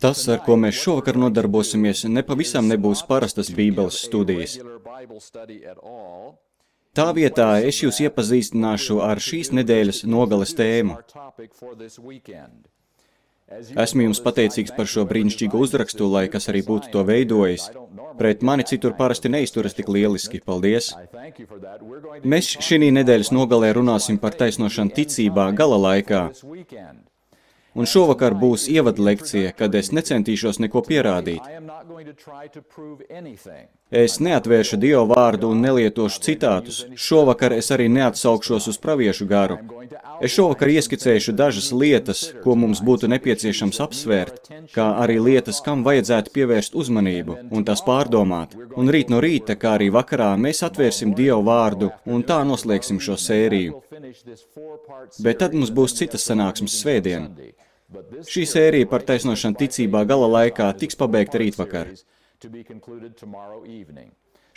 Tas, ar ko mēs šovakar nodarbosimies, nepavisam nebūs parastas Bībeles studijas. Tā vietā es jūs iepazīstināšu ar šīs nedēļas nogales tēmu. Esmu jums pateicīgs par šo brīnišķīgo uzrakstu, lai kas arī būtu to veidojis. Pret mani citur parasti neizturas tik lieliski. Paldies! Mēs šī nedēļas nogalē runāsim par taisnošanu ticībā gala laikā. Un šovakar būs ievadlekcija, kad es necentīšos neko pierādīt. Es neatvēršu Dieva vārdu un nelietošu citātus. Šovakar es arī neatsaukšos uz praviešu garu. Es šovakar ieskicēšu dažas lietas, ko mums būtu nepieciešams apsvērt, kā arī lietas, kam vajadzētu pievērst uzmanību un tās pārdomāt. Un rīt no rīta, kā arī vakarā, mēs atvērsim Dieva vārdu un tā noslēgsim šo sēriju. Bet tad mums būs citas sanāksmes svētdien. Šī sērija par taisnošanu ticībā gala laikā tiks pabeigta rītvakar.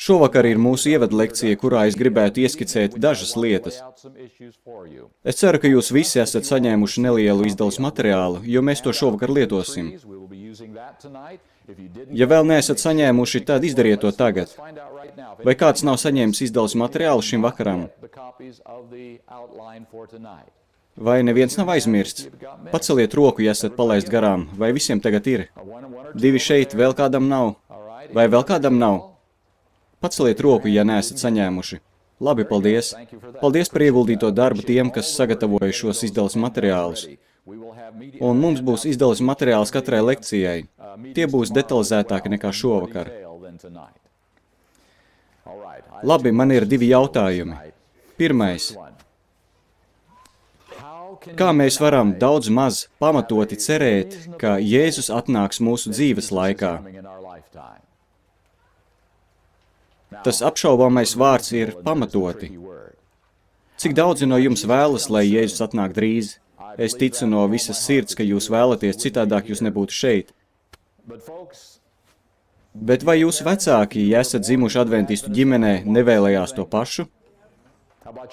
Šovakar ir mūsu ievadlekcija, kurā es gribētu ieskicēt dažas lietas. Es ceru, ka jūs visi esat saņēmuši nelielu izdeles materiālu, jo mēs to šovakar lietosim. Ja vēl neesat saņēmuši, tad izdariet to tagad. Vai kāds nav saņēmis izdeles materiālu šim vakaram? Vai neviens nav aizmirsts? Paceliet roku, ja esat palaist garām. Vai visiem tagad ir? 2 šeit, vēl kādam nav? Vai vēl kādam nav? Paceliet roku, ja neesat saņēmuši. Labi, paldies. Paldies par ieguldīto darbu tiem, kas sagatavoja šos izdeles materiālus. Un mums būs izdeles materiāls katrai lekcijai. Tie būs detalizētāki nekā šovakar. Labi, man ir 2 jautājumi. Pirmais. Kā mēs varam daudz maz pamatoti cerēt, ka Jēzus atnāks mūsu dzīves laikā? Tas apšaubāmais vārds ir pamatoti. Cik daudzi no jums vēlas, lai Jēzus atnāk drīz? Es ticu no visas sirds, ka jūs vēlaties, citādāk jūs nebūtu šeit. Bet vai jūsu vecāki, ja esat dzimuši adventistu ģimenē, nevēlējās to pašu?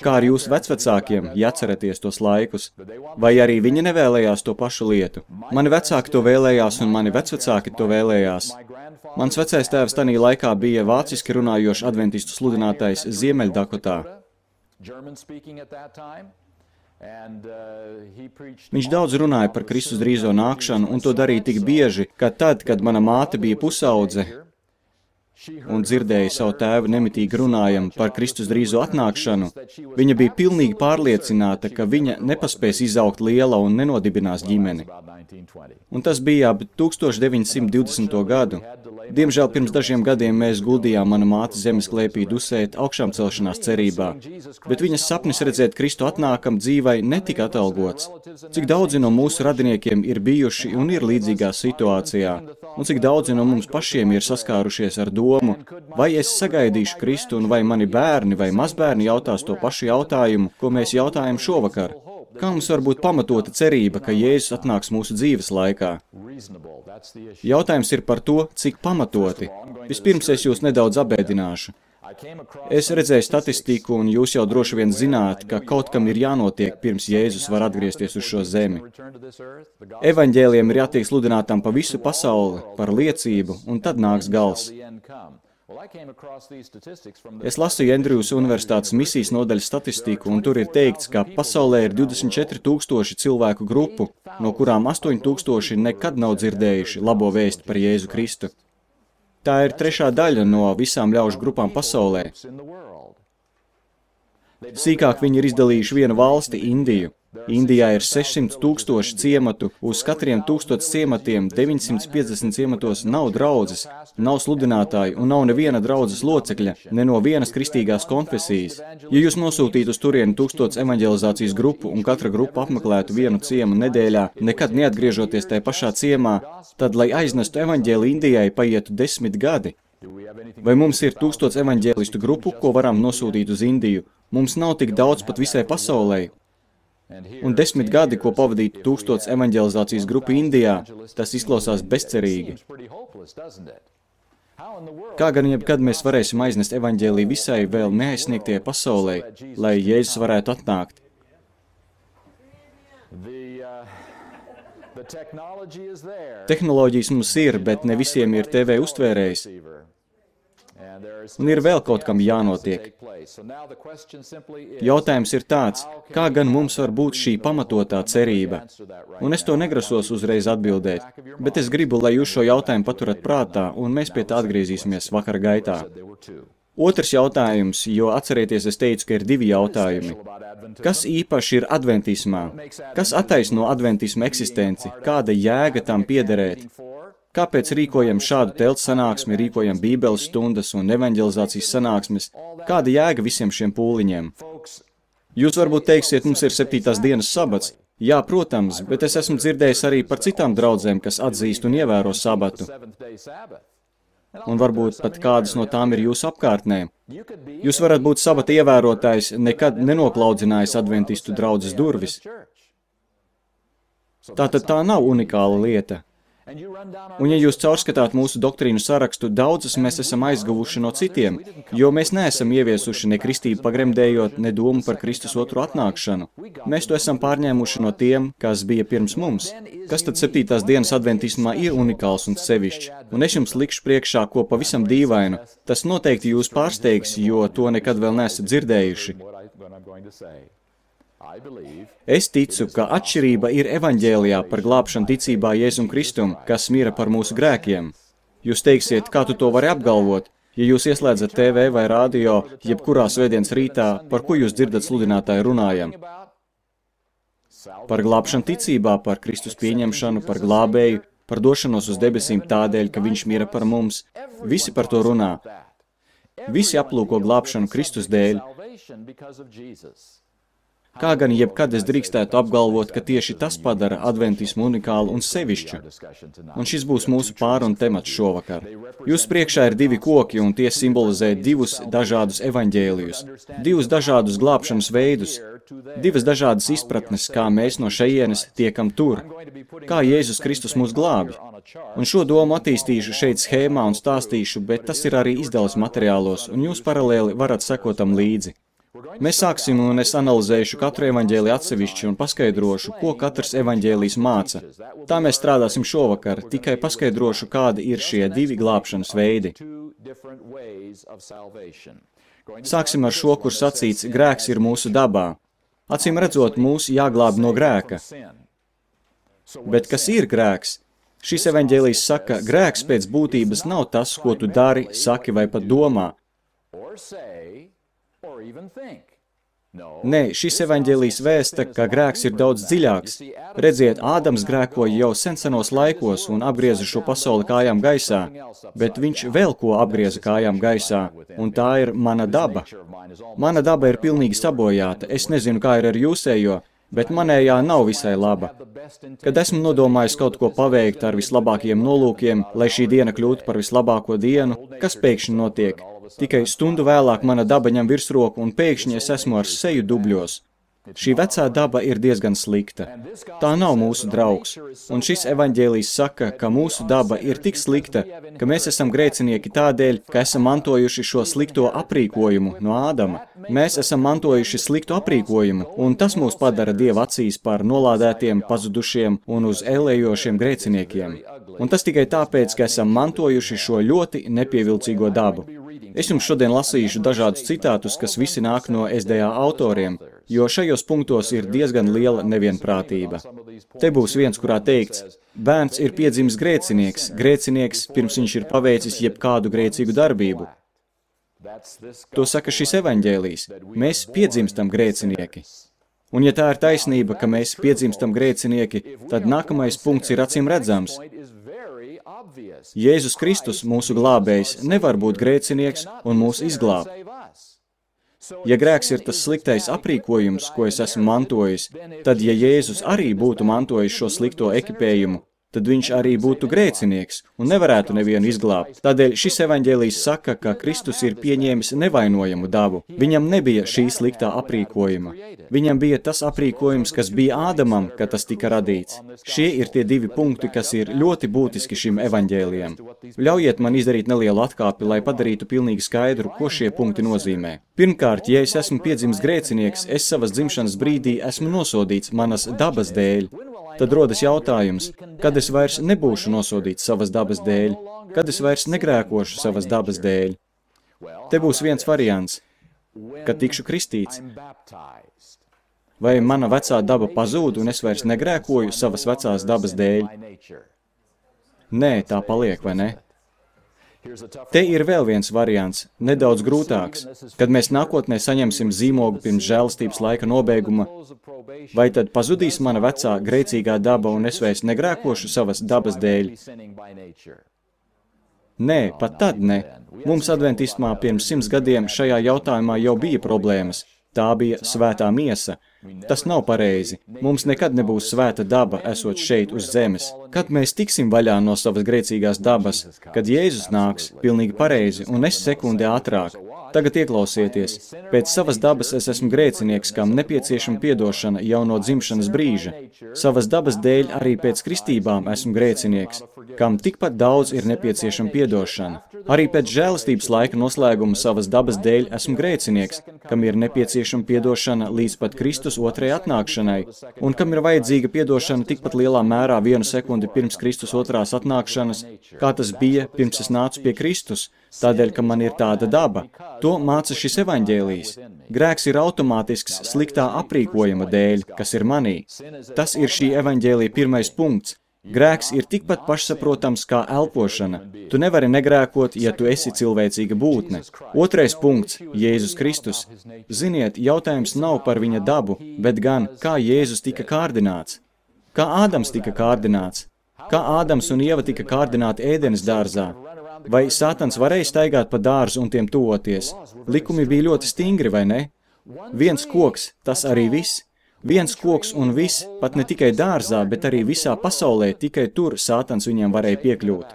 Kā ar jūsu vecvecākiem, ja atceraties tos laikus? Vai arī viņi nevēlējās to pašu lietu? Mani vecāki to vēlējās un mani vecvecāki to vēlējās. Mans vecais tēvs tanī laikā bija vāciski runājošs adventistu sludinātājs Ziemeļdakotā. Viņš daudz runāja par Kristus drīzo nākšanu un to darīja tik bieži, ka tad, kad mana māte bija pusaudze, un dzirdēja savu tēvu nemitīgi runājam par Kristus drīzo atnākšanu, viņa bija pilnīgi pārliecināta, ka viņa nepaspēs izaugt liela un nenodibinās ģimeni. Un tas bija ap 1920. gadu. Diemžēl pirms dažiem gadiem mēs guldījām mana māte zemes klēpī dusēt augšām celšanās cerībā, bet viņas sapnis redzēt Kristu atnākam dzīvai netika atalgots. Cik daudzi no mūsu radiniekiem ir bijuši un ir līdzīgā situācijā, un cik daudzi no mums pašiem ir saskārušies ar domu, vai es sagaidīšu Kristu un vai mani bērni vai mazbērni jautās to pašu jautājumu, ko mēs jautājam šovakar. Kā mums var būt pamatota cerība, ka Jēzus atnāks mūsu dzīves laikā? Jautājums ir par to, cik pamatoti. Vispirms es jūs nedaudz apbēdināšu. Es redzēju statistiku, un jūs jau droši vien zināt, ka kaut kam ir jānotiek, pirms Jēzus var atgriezties uz šo zemi. Evaņģēliem ir jātiek sludinātam pa visu pasauli par liecību, un tad nāks gals. Es lasīju Andrūjas Universitātes misijas nodaļas statistiku, un tur ir teikts, ka pasaulē ir 24 000 cilvēku grupu, no kurām 8 000 nekad nav dzirdējuši labo vēstu par Jēzu Kristu. Tā ir 3. daļa no visām ļaužu grupām pasaulē. Sīkāk viņi ir izdalījuši vienu valsti, Indiju. Indijā ir 600 000 ciematu, uz katriem 1000 ciematiem 950 ciematos nav draudzes, nav sludinātāju un nav neviena draudzes locekļa, ne no vienas kristīgās konfesijas. Ja jūs nosūtītu uz turieni 1000 evaņģelizācijas grupu un katra grupa apmeklētu vienu ciemu nedēļā, nekad neatgriežoties tajā pašā ciemā, tad, lai aiznestu evaņģēli Indijai, paietu 10 gadi. Vai mums ir 1000 evaņģēlistu grupu, ko varam nosūtīt uz Indiju? Mums nav tik daudz pat visai pasaulē. Un 10 gadi, ko pavadītu 1000 evaņģelizācijas grupu Indijā, tas izklausās bezcerīgi. Kā gan jebkad mēs varēsim aiznest evaņģēliju visai vēl neaizsniegtajai pasaulē, lai Jēzus varētu atnākt? Tehnoloģijas mums ir, bet ne visiem ir TV uztvērējs. Un ir vēl kaut kam jānotiek. Jautājums ir tāds, kā gan mums var būt šī pamatotā cerība? Un es to negrasos uzreiz atbildēt, bet es gribu, lai jūs šo jautājumu paturat prātā, un mēs pie tā atgriezīsimies vakara gaitā. Otrs jautājums, jo atcerieties, es teicu, ka ir divi jautājumi. Kas īpaši ir adventismā? Kas attaisno adventisma eksistenci? Kāda jēga tam piederēt? Kāpēc rīkojam šādu telts sanāksmi, rīkojam bībeles stundas un evanģelizācijas sanāksmes? Kāda jēga visiem šiem pūliņiem? Jūs varbūt teiksiet, mums ir 7. dienas sabats. Jā, protams, bet es esmu dzirdējis arī par citām draudzēm, kas atzīst un ievēro sabatu. Un varbūt pat kādas no tām ir jūsu apkārtnē. Jūs varat būt sabata ievērotājs, nekad nenoklaudzinājis adventistu draudzes durvis. Tātad tā nav unikāla lieta. Un ja jūs caurskatāt mūsu doktrīnu sarakstu, daudzas mēs esam aizguvuši no citiem, jo mēs neesam ieviesuši ne kristību pagremdējot, ne domu par Kristus otru atnākšanu. Mēs to esam pārņēmuši no tiem, kas bija pirms mums. Kas tad 7. dienas adventismā ir unikāls un sevišķs? Un es jums likšu priekšā ko pavisam dīvainu. Tas noteikti jūs pārsteigs, jo to nekad vēl neesat dzirdējuši. Es ticu, ka atšķirība ir evaņģēlijā par glābšanu ticībā Jēzum Kristum, kas mira par mūsu grēkiem. Jūs teiksiet, kā tu to vari apgalvot? Ja jūs ieslēdzat TV vai radio, jebkurā svētdienas rītā, par ko jūs dzirdat sludinātāju runājam? Par glābšanu ticībā, par Kristus pieņemšanu, par glābēju, par došanos uz debesīm tādēļ, ka viņš mira par mums. Visi par to runā. Visi aplūko glābšanu Kristus dēļ. Kā gan jebkad es drīkstētu apgalvot, ka tieši tas padara adventismu unikālu un sevišķu? Un šis būs mūsu pārunu temats šovakar. Jūs priekšā ir divi koki, un tie simbolizē divus dažādus evaņģēlijus, divus dažādus glābšanas veidus, divas dažādas izpratnes, kā mēs no šejienes tiekam tur, kā Jēzus Kristus mūs glābj. Un šo domu attīstīšu šeit schēmā un stāstīšu, bet tas ir arī izdevums materiālos, un jūs paralēli varat sekot tam līdzi. Mēs sāksim, un es analizēšu katru evaņģēliju atsevišķi un paskaidrošu, ko katrs evaņģēlijs māca. Tā mēs strādāsim šovakar, tikai paskaidrošu, kādi ir šie divi glābšanas veidi. Sāksim ar šo, kur sacīts, grēks ir mūsu dabā. Acīm redzot, mūs jāglāb no grēka. Bet kas ir grēks? Šis evaņģēlijs saka, grēks pēc būtības nav tas, ko tu dari, saki vai pat domā. Nē, šis evaņģēlijs vēsta, ka grēks ir daudz dziļāks. Redziet, Ādams grēkoja jau senos laikos un apgrieza šo pasauli kājām gaisā, bet viņš vēl ko apgrieza kājām gaisā, un tā ir mana daba. Mana daba ir pilnīgi sabojāta, es nezinu, kā ir ar jūsējo, bet manējā nav visai laba. Kad esmu nodomājis kaut ko paveikt ar vislabākajiem nolūkiem, lai šī diena kļūtu par vislabāko dienu, kas pēkšņi notiek? Tikai stundu vēlāk mana daba ņem virsroku un pēkšņi es esmu ar seju dubļos. Šī vecā daba ir diezgan slikta. Tā nav mūsu draugs. Un šis evaņģēlijs saka, ka mūsu daba ir tik slikta, ka mēs esam grēcinieki tādēļ, ka esam mantojuši šo slikto aprīkojumu no Ādama. Mēs esam mantojuši sliktu aprīkojumu, un tas mūs padara Dieva acīs par nolādētiem, pazudušiem un uz ēlējošiem grēciniekiem. Un tas tikai tāpēc, ka esam mantojuši šo ļoti nepievilcīgo dabu. Es jums šodien lasīšu dažādus citātus, kas visi nāk no SDA autoriem, jo šajos punktos ir diezgan liela nevienprātība. Te būs viens, kurā teikts, bērns ir piedzimis grēcinieks, pirms viņš ir paveicis jebkādu grēcīgu darbību. To saka šis evaņģēlijs. Mēs piedzimstam grēcinieki. Un ja tā ir taisnība, ka mēs piedzimstam grēcinieki, tad nākamais punkts ir acīm redzams. Jēzus Kristus, mūsu glābējs, nevar būt grēcinieks un mūs izglābt. Ja grēks ir tas sliktais aprīkojums, ko es esmu mantojis, tad, ja Jēzus arī būtu mantojis šo slikto ekipējumu, tad viņš arī būtu grēcinieks un nevarētu nevienu izglābt. Tādēļ šis evaņģēlijs saka, ka Kristus ir pieņēmis nevainojamu dabu. Viņam nebija šī sliktā aprīkojuma. Viņam bija tas aprīkojums, kas bija Ādamam, kad tas tika radīts. Šie ir tie divi punkti, kas ir ļoti būtiski šim evaņģēlijam. Ļaujiet man izdarīt nelielu atkāpi, lai padarītu pilnīgi skaidru, ko šie punkti nozīmē. Pirmkārt, ja es esmu piedzimis grēcinieks, es savas dzimšanas brīdī esmu nosodīts manas dabas dēļ. Tad rodas jautājums, kad es vairs nebūšu nosodīts savas dabas dēļ, kad es vairs negrēkošu savas dabas dēļ. Te būs viens variants, kad tikšu kristīts. Vai mana vecā daba pazūd un es vairs negrēkoju savas vecās dabas dēļ? Nē, tā paliek, vai ne? Te ir vēl viens variants, nedaudz grūtāks, kad mēs nākotnē saņemsim zīmogu pirms žēlastības laika nobeiguma, vai tad pazudīs mana vecā grēcīgā daba un es vairs negrēkošu savas dabas dēļ? Nē, pat tad ne. Mums adventismā pirms 100 gadiem šajā jautājumā jau bija problēmas. Tā bija svētā miesa. Tas nav pareizi. Mums nekad nebūs svēta daba, esot šeit uz zemes. Kad mēs tiksim vaļā no savas grēcīgās dabas, kad Jēzus nāks, pilnīgi pareizi, un es sekundi ātrāk. Tagad ieklausieties. Pēc savas dabas es esmu grēcinieks, kam nepieciešama piedošana jau no dzimšanas brīža. Savas dabas dēļ arī pēc kristībām esmu grēcinieks, kam tikpat daudz ir nepieciešama piedošana. Arī pēc žēlastības laika noslēguma savas dabas dēļ esmu grēcinieks, kam ir nepieciešama piedošana līdz pat Kristus otrajai atnākšanai, un kam ir vajadzīga piedošana tikpat lielā mērā 1 sekundi pirms Kristus otrās atnākšanas, kā tas bija pirms es nācu pie Kristus, tādēļ, ka man ir tāda daba. To māca šis evaņģēlijs. Grēks ir automātisks sliktā aprīkojuma dēļ, kas ir manī. Tas ir šī evaņģēlija pirmais punkts. Grēks ir tikpat pašsaprotams kā elpošana. Tu nevari negrēkot, ja tu esi cilvēcīga būtne. Otrais punkts – Jēzus Kristus. Ziniet, jautājums nav par viņa dabu, bet gan, kā Jēzus tika kārdināts. Kā Ādams tika kārdināts? Kā Ādams un Ieva tika kārdināti Ēdenes dārzā? Vai Sātans varēja staigāt pa dārzu un tiem tuvoties? Likumi bija ļoti stingri, vai ne? Viens koks, tas arī viss. Viens koks un viss, pat ne tikai dārzā, bet arī visā pasaulē, tikai tur Sātans viņiem varēja piekļūt.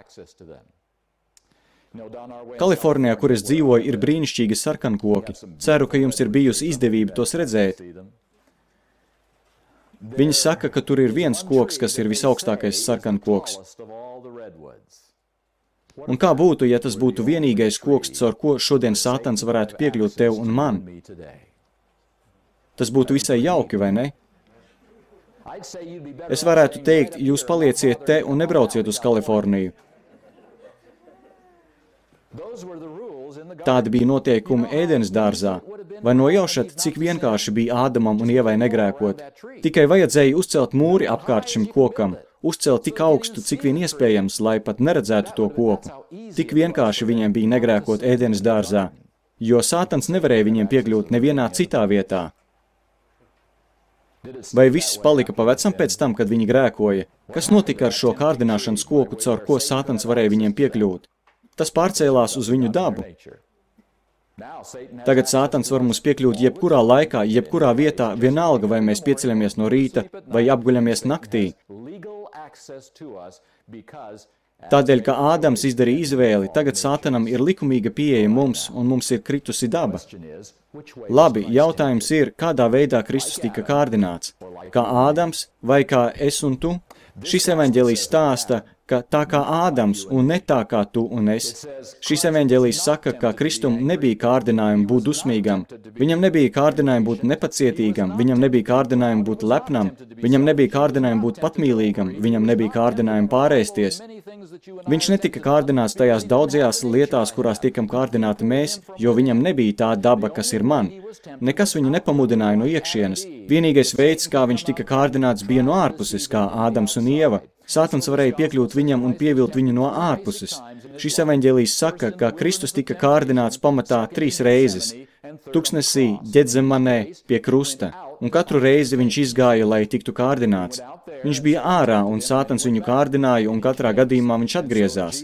Kalifornijā, kur es dzīvoju, ir brīnišķīgi sarkankoki. Ceru, ka jums ir bijusi izdevība tos redzēt. Viņi saka, ka tur ir viens koks, kas ir visaugstākais sarkankoks. Un kā būtu, ja tas būtu vienīgais koks, caur ko šodien Sātans varētu piekļūt tev un man? Tas būtu visai jauki, vai ne? Es varētu teikt, jūs palieciet te un nebrauciet uz Kaliforniju. Tādi bija noteikumi Ēdenes dārzā. Vai nojaušat, cik vienkārši bija Ādamam un Ievai negrēkot? Tikai vajadzēja uzcelt mūri apkārt šim kokam, uzcelt tik augstu, cik vien iespējams, lai pat neredzētu to koku. Tik vienkārši viņiem bija negrēkot Ēdenes dārzā, jo Sātans nevarēja viņiem piekļūt nevienā citā vietā. Vai viss palika pa vecam pēc tam, kad viņi grēkoja? Kas notika ar šo kārdināšanas koku, caur ko Sātans varēja viņiem piekļūt? Tas pārcēlās uz viņu dabu. Tagad Sātans var mums piekļūt jebkurā laikā, jebkurā vietā, vienalga, vai mēs pieceļamies no rīta vai apguļamies naktī. Tādēļ, ka Ādams izdarīja izvēli, tagad Sātanam ir likumīga pieeja mums, un mums ir kritusi daba. Labi, jautājums ir, kādā veidā Kristus tika kārdināts? Kā Ādams vai kā es un tu? Šis evaņģēlijs stāsta, ka tā kā Ādams un ne tā kā tu un es. Šis evaņģēlijs saka, ka Kristum nebija kārdinājumi būt dusmīgam, viņam nebija kārdinājumi būt nepacietīgam, viņam nebija kārdinājumi būt lepnam, viņam nebija kārdinājumi būt patmīlīgam, viņam nebija kārdinājumi pārēsties. Viņš netika kārdināts tajās daudzajās lietās, kurās tiekam kārdināti mēs, jo viņam nebija tā daba, kas ir man. Nekas viņu nepamudināja no iekšienes. Vienīgais veids, kā viņš tika kārdināts, bija no ārpuses, kā Ādams un Ieva. Sātans varēja piekļūt viņam un pievilt viņu no ārpuses. Šis evaņģēlijs saka, ka Kristus tika kārdināts pamatā 3 reizes. Tuksnesī, Ģedzemanē, pie krusta. Un katru reizi viņš izgāja, lai tiktu kārdināts. Viņš bija ārā, un Sātans viņu kārdināja, un katrā gadījumā viņš atgriezās.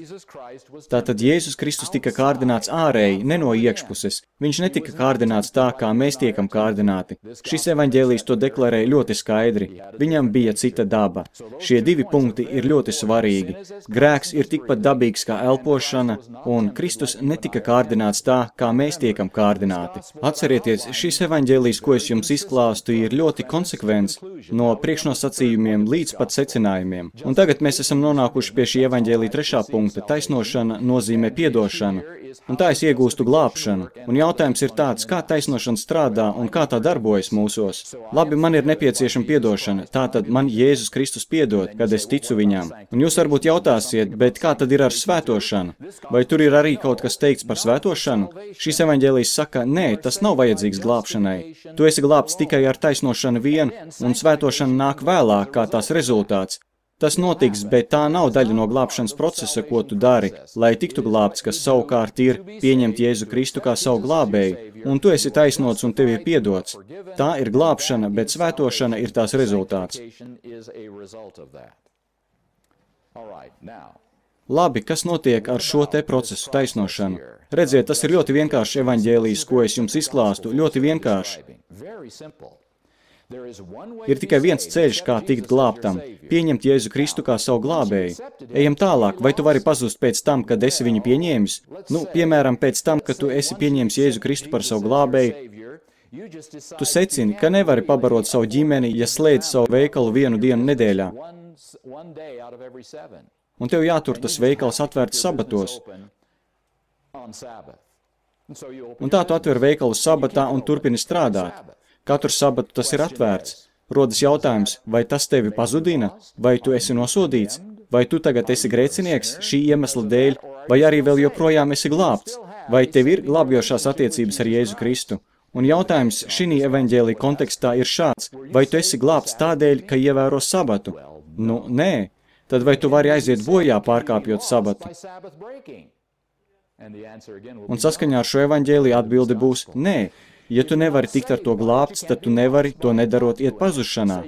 Tātad Jēzus Kristus tika kārdināts ārēji, ne no iekšpuses. Viņš netika kārdināts tā, kā mēs tiekam kārdināti. Šis evaņģēlijs to deklarē ļoti skaidri. Viņam bija cita daba. Šie 2 punkti ir ļoti svarīgi. Grēks ir tikpat dabīgs kā elpošana, un Kristus netika kārdināts tā, kā mēs tiekam kārdināti. Atcerieties, šis evaņģēlijs, ko es jums izklāstu, stāstu ir ļoti konsekvents no priekšnosacījumiem līdz pat secinājumiem. Un tagad mēs esam nonākuši pie šī evaņģēlija 3. punkta. Taisnošana nozīmē piedošanu. Un tā es iegūstu glābšanu. Un jautājums ir tāds, kā taisnošana strādā un kā tā darbojas mūsos. Labi, man ir nepieciešama piedošana. Tātad man Jēzus Kristus piedod, kad es ticu viņam. Un jūs varbūt jautāsiet, bet kā tad ir ar svētošanu? Vai tur ir arī kaut kas teikts par svētošanu? Šis evaņģēlijs saka, nē, tas nav vajadzīgs glābšanai. Tu esi glābts tikai ar taisnošanu vien, un svētošana nāk vēlāk kā tās rezultāts. Tas notiks, bet tā nav daļa no glābšanas procesa, ko tu dari, lai tiktu glābts, kas savukārt ir pieņemt Jēzu Kristu kā savu glābēju, un tu esi taisnots un tev ir piedots. Tā ir glābšana, bet svētošana ir tās rezultāts. Labi, kas notiek ar šo te procesu taisnošanu? Redziet, tas ir ļoti vienkāršs evaņģēlijs, ko es jums izklāstu, ļoti vienkārši. Ir tikai viens ceļš, kā tikt glābtam – pieņemt Jēzu Kristu kā savu glābēju. Ejam tālāk, vai tu vari pazust pēc tam, kad esi viņu pieņēmis? Piemēram, pēc tam, kad tu esi pieņēmis Jēzu Kristu par savu glābēju, tu secini, ka nevari pabarot savu ģimeni, ja slēdz savu veikalu 1 dienu nedēļā. Un tev jātur tas veikals atvērts sabatos. Un tā tu atver veikalu sabatā un turpini strādāt. Katru sabatu tas ir atvērts. Rodas jautājums, vai tas tevi pazudina, vai tu esi nosodīts, vai tu tagad esi grēcinieks šī iemesla dēļ, vai arī vēl joprojām esi glābts, vai tev ir glābjošās attiecības ar Jēzu Kristu. Un jautājums šī evaņģēlija kontekstā ir šāds, vai tu esi glābts tādēļ, ka ievēro sabatu? Nē. Tad vai tu vari aiziet bojā pārkāpjot sabatu? Un saskaņā ar šo evaņģēliju atbilde būs nē. Ja tu nevari tikt ar to glābts, tad tu nevari to nedarot iet pazušanā.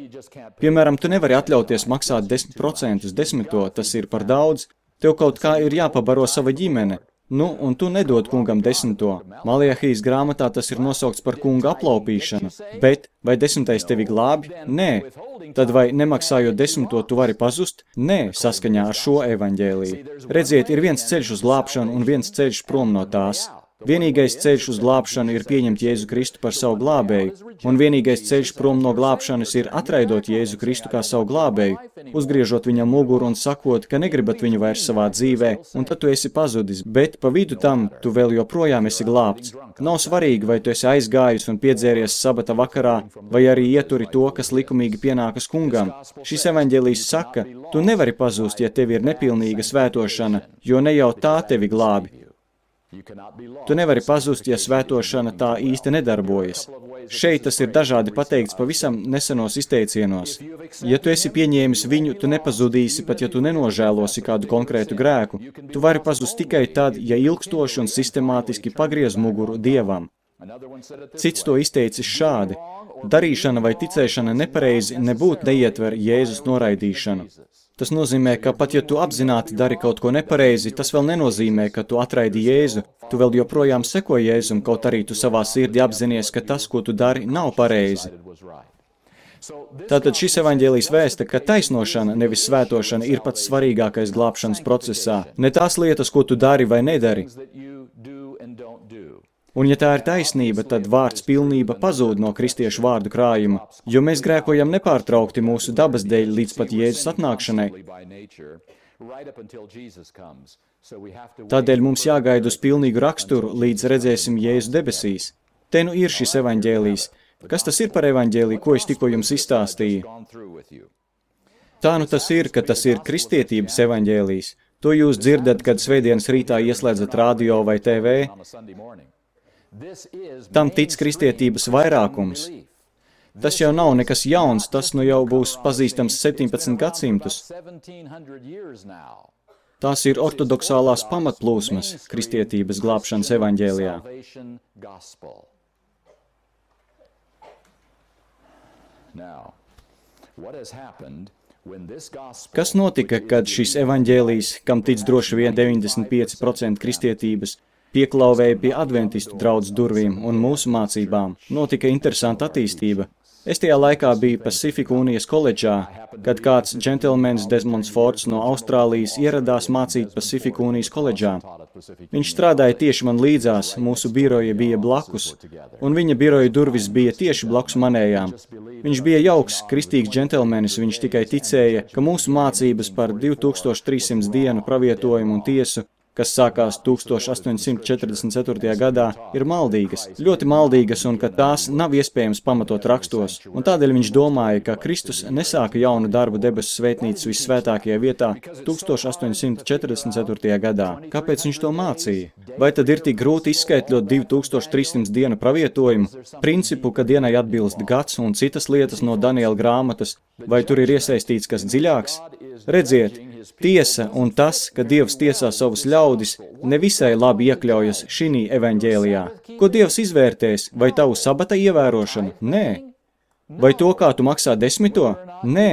Piemēram, tu nevari atļauties maksāt 10%, 10, tas ir par daudz. Tev kaut kā ir jāpabaro sava ģimene. Un tu nedod kungam 10. Maliahijas grāmatā tas ir nosaukts par kunga aplaupīšanu. Bet vai 10. tevi glābi? Nē. Tad vai nemaksājot 10. tu vari pazust? Nē, saskaņā ar šo evaņģēliju. Redziet, ir viens ceļš uz glābšanu un viens ceļš prom no tās. Vienīgais ceļš uz glābšanu ir pieņemt Jēzu Kristu par savu glābēju, un vienīgais ceļš prom no glābšanas ir atraidot Jēzu Kristu kā savu glābēju, uzgriežot viņam muguru un sakot, ka negribat viņu vairs savā dzīvē, un tad tu esi pazudis, bet pa vidu tam tu vēl joprojām esi glābts. Nav svarīgi, vai tu esi aizgājis un piedzēries sabata vakarā, vai arī ieturi to, kas likumīgi pienākas kungam. Šis evaņģēlijs saka, tu nevari pazust, ja tev ir nepilnīga svētošana, jo ne jau tā tevi glābi. Tu nevari pazust, ja svētošana tā īsti nedarbojas. Šeit tas ir dažādi pateikts pavisam nesenos izteicienos. Ja tu esi pieņēmis viņu, tu nepazudīsi, pat ja tu nenožēlosi kādu konkrētu grēku. Tu vari pazust tikai tad, ja ilgstoši un sistemātiski pagriez muguru Dievam. Cits to izteicis šādi. Darīšana vai ticēšana nepareizi nebūtu neietver Jēzus noraidīšanu. Tas nozīmē, ka pat ja tu apzināti dari kaut ko nepareizi, tas vēl nenozīmē, ka tu atraidi Jēzu. Tu vēl joprojām seko Jēzum, kaut arī tu savā sirdī apzinies, ka tas, ko tu dari, nav pareizi. Tātad šis evaņģēlijs vēsta, ka taisnošana, nevis svētošana, ir pats svarīgākais glābšanas procesā. Ne tās lietas, ko tu dari vai nedari. Un ja tā ir taisnība, tad vārds pilnība pazūd no kristiešu vārdu krājuma, jo mēs grēkojam nepārtraukti mūsu dabas dēļ līdz pat Jēzus atnākšanai. Tādēļ mums jāgaida uz pilnīgu raksturu, līdz redzēsim Jēzu debesīs. Te nu ir šis evaņģēlijs. Kas tas ir par evaņģēliju, ko es tikko jums izstāstīju? Tā nu tas ir, ka tas ir kristietības evaņģēlijs. To jūs dzirdat, kad svētdienas rītā ieslēdzat radio vai TV. Tam tic kristietības vairākums. Tas jau nav nekas jauns, tas nu jau būs pazīstams 17 gadsimtus. Tās ir ortodoksālās pamatplūsmas kristietības glābšanas evaņģēlijā. Kas notika, kad šis evaņģēlijs, kam tic droši vien 95% kristietības, pieklauvēja pie adventistu draudzes durvīm un mūsu mācībām? Notika interesanta attīstība. Es tajā laikā biju Pacific Unijas koledžā, kad kāds džentelmenis Desmonds Fords no Austrālijas ieradās mācīt Pacific Unijas koledžā. Viņš strādāja tieši man līdzās, mūsu biroja bija blakus, un viņa biroja durvis bija tieši blakus manējām. Viņš bija jauks, kristīgs džentelmenis, viņš tikai ticēja, ka mūsu mācības par 2300 dienu pravietojumu un tiesu, kas sākās 1844. gadā, ir maldīgas, ļoti maldīgas un ka tās nav iespējams pamatot rakstos. Un tādēļ viņš domāja, ka Kristus nesāka jaunu darbu debesu svētnīcas vissvētākajā vietā 1844. gadā. Kāpēc viņš to mācīja? Vai tad ir tik grūti izskaitļot 2300 dienu pravietojumu, principu, ka dienai atbilst gads un citas lietas no Daniela grāmatas, vai tur ir iesaistīts kas dziļāks? Redziet, tiesa un tas, ka Dievs tiesā savus ļaudis, nevisai labi iekļaujas šī evaņģēlijā. Ko Dievs izvērtēs? Vai tavu sabata ievērošanu? Nē. Vai to, kā tu maksā 10? Nē.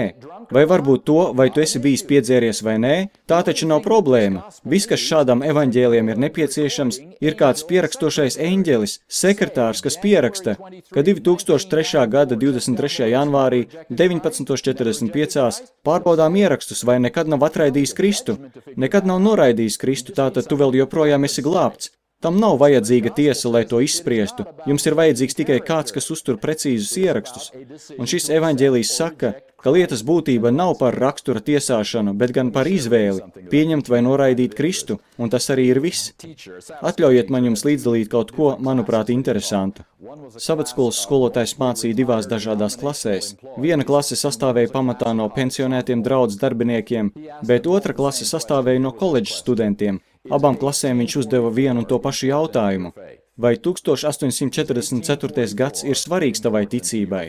Vai varbūt to, vai tu esi bijis piedzēries vai nē? Tā taču nav problēma. Viss, kas šādam evaņģēlijam ir nepieciešams, ir kāds pierakstošais eņģelis, sekretārs, kas pieraksta, ka 2003. gada 23. janvārī 19:45 pārbaudām ierakstus, vai nekad nav atraidījis Kristu. Nekad nav noraidījis Kristu, tātad tu vēl joprojām esi glābts. Tam nav vajadzīga tiesa, lai to izspriestu. Jums ir vajadzīgs tikai kāds, kas uztur precīzus ierakstus. Un šis evaņģēlijs saka, ka lietas būtība nav par rakstura tiesāšanu, bet gan par izvēli, pieņemt vai noraidīt Kristu, un tas arī ir viss. Atļaujiet man jums līdzdalīt kaut ko, manuprāt, interesantu. Sabatskolas skolotājs mācīja divās dažādās klasēs. Viena klase sastāvēja pamatā no pensionētiem draudzes darbiniekiem, bet otra klase sastāvēja no koledžas studentiem. Abām klasēm viņš uzdeva vienu un to pašu jautājumu. Vai 1844. gads ir svarīgs tavai ticībai?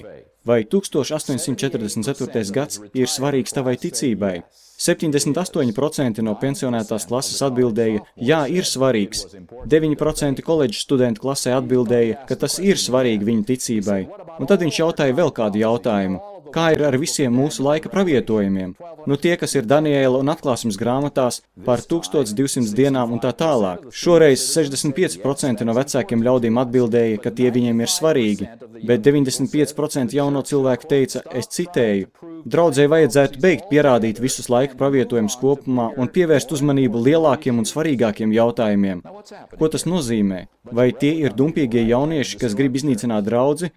Vai 1844. gads ir svarīgs tavai ticībai? 78% no pensionētās klases atbildēja, jā, ir svarīgs. 9% koledžas studentu klasē atbildēja, ka tas ir svarīgi viņu ticībai. Un tad viņš jautāja vēl kādu jautājumu. Kā ir ar visiem mūsu laika pravietojumiem? Nu tie, kas ir Daniela un atklāsmes grāmatās par 1200 dienām un tā tālāk. Šoreiz 65% no vecākiem ļaudīm atbildēja, ka tie viņiem ir svarīgi, bet 95% jauno cilvēku teica, es citēju, draudzē vajadzētu beigt pierādīt visus laika pravietojumus kopumā un pievērst uzmanību lielākiem un svarīgākiem jautājumiem. Ko tas nozīmē? Vai tie ir dumpīgie jaunieši, kas grib iznīcināt draudzi?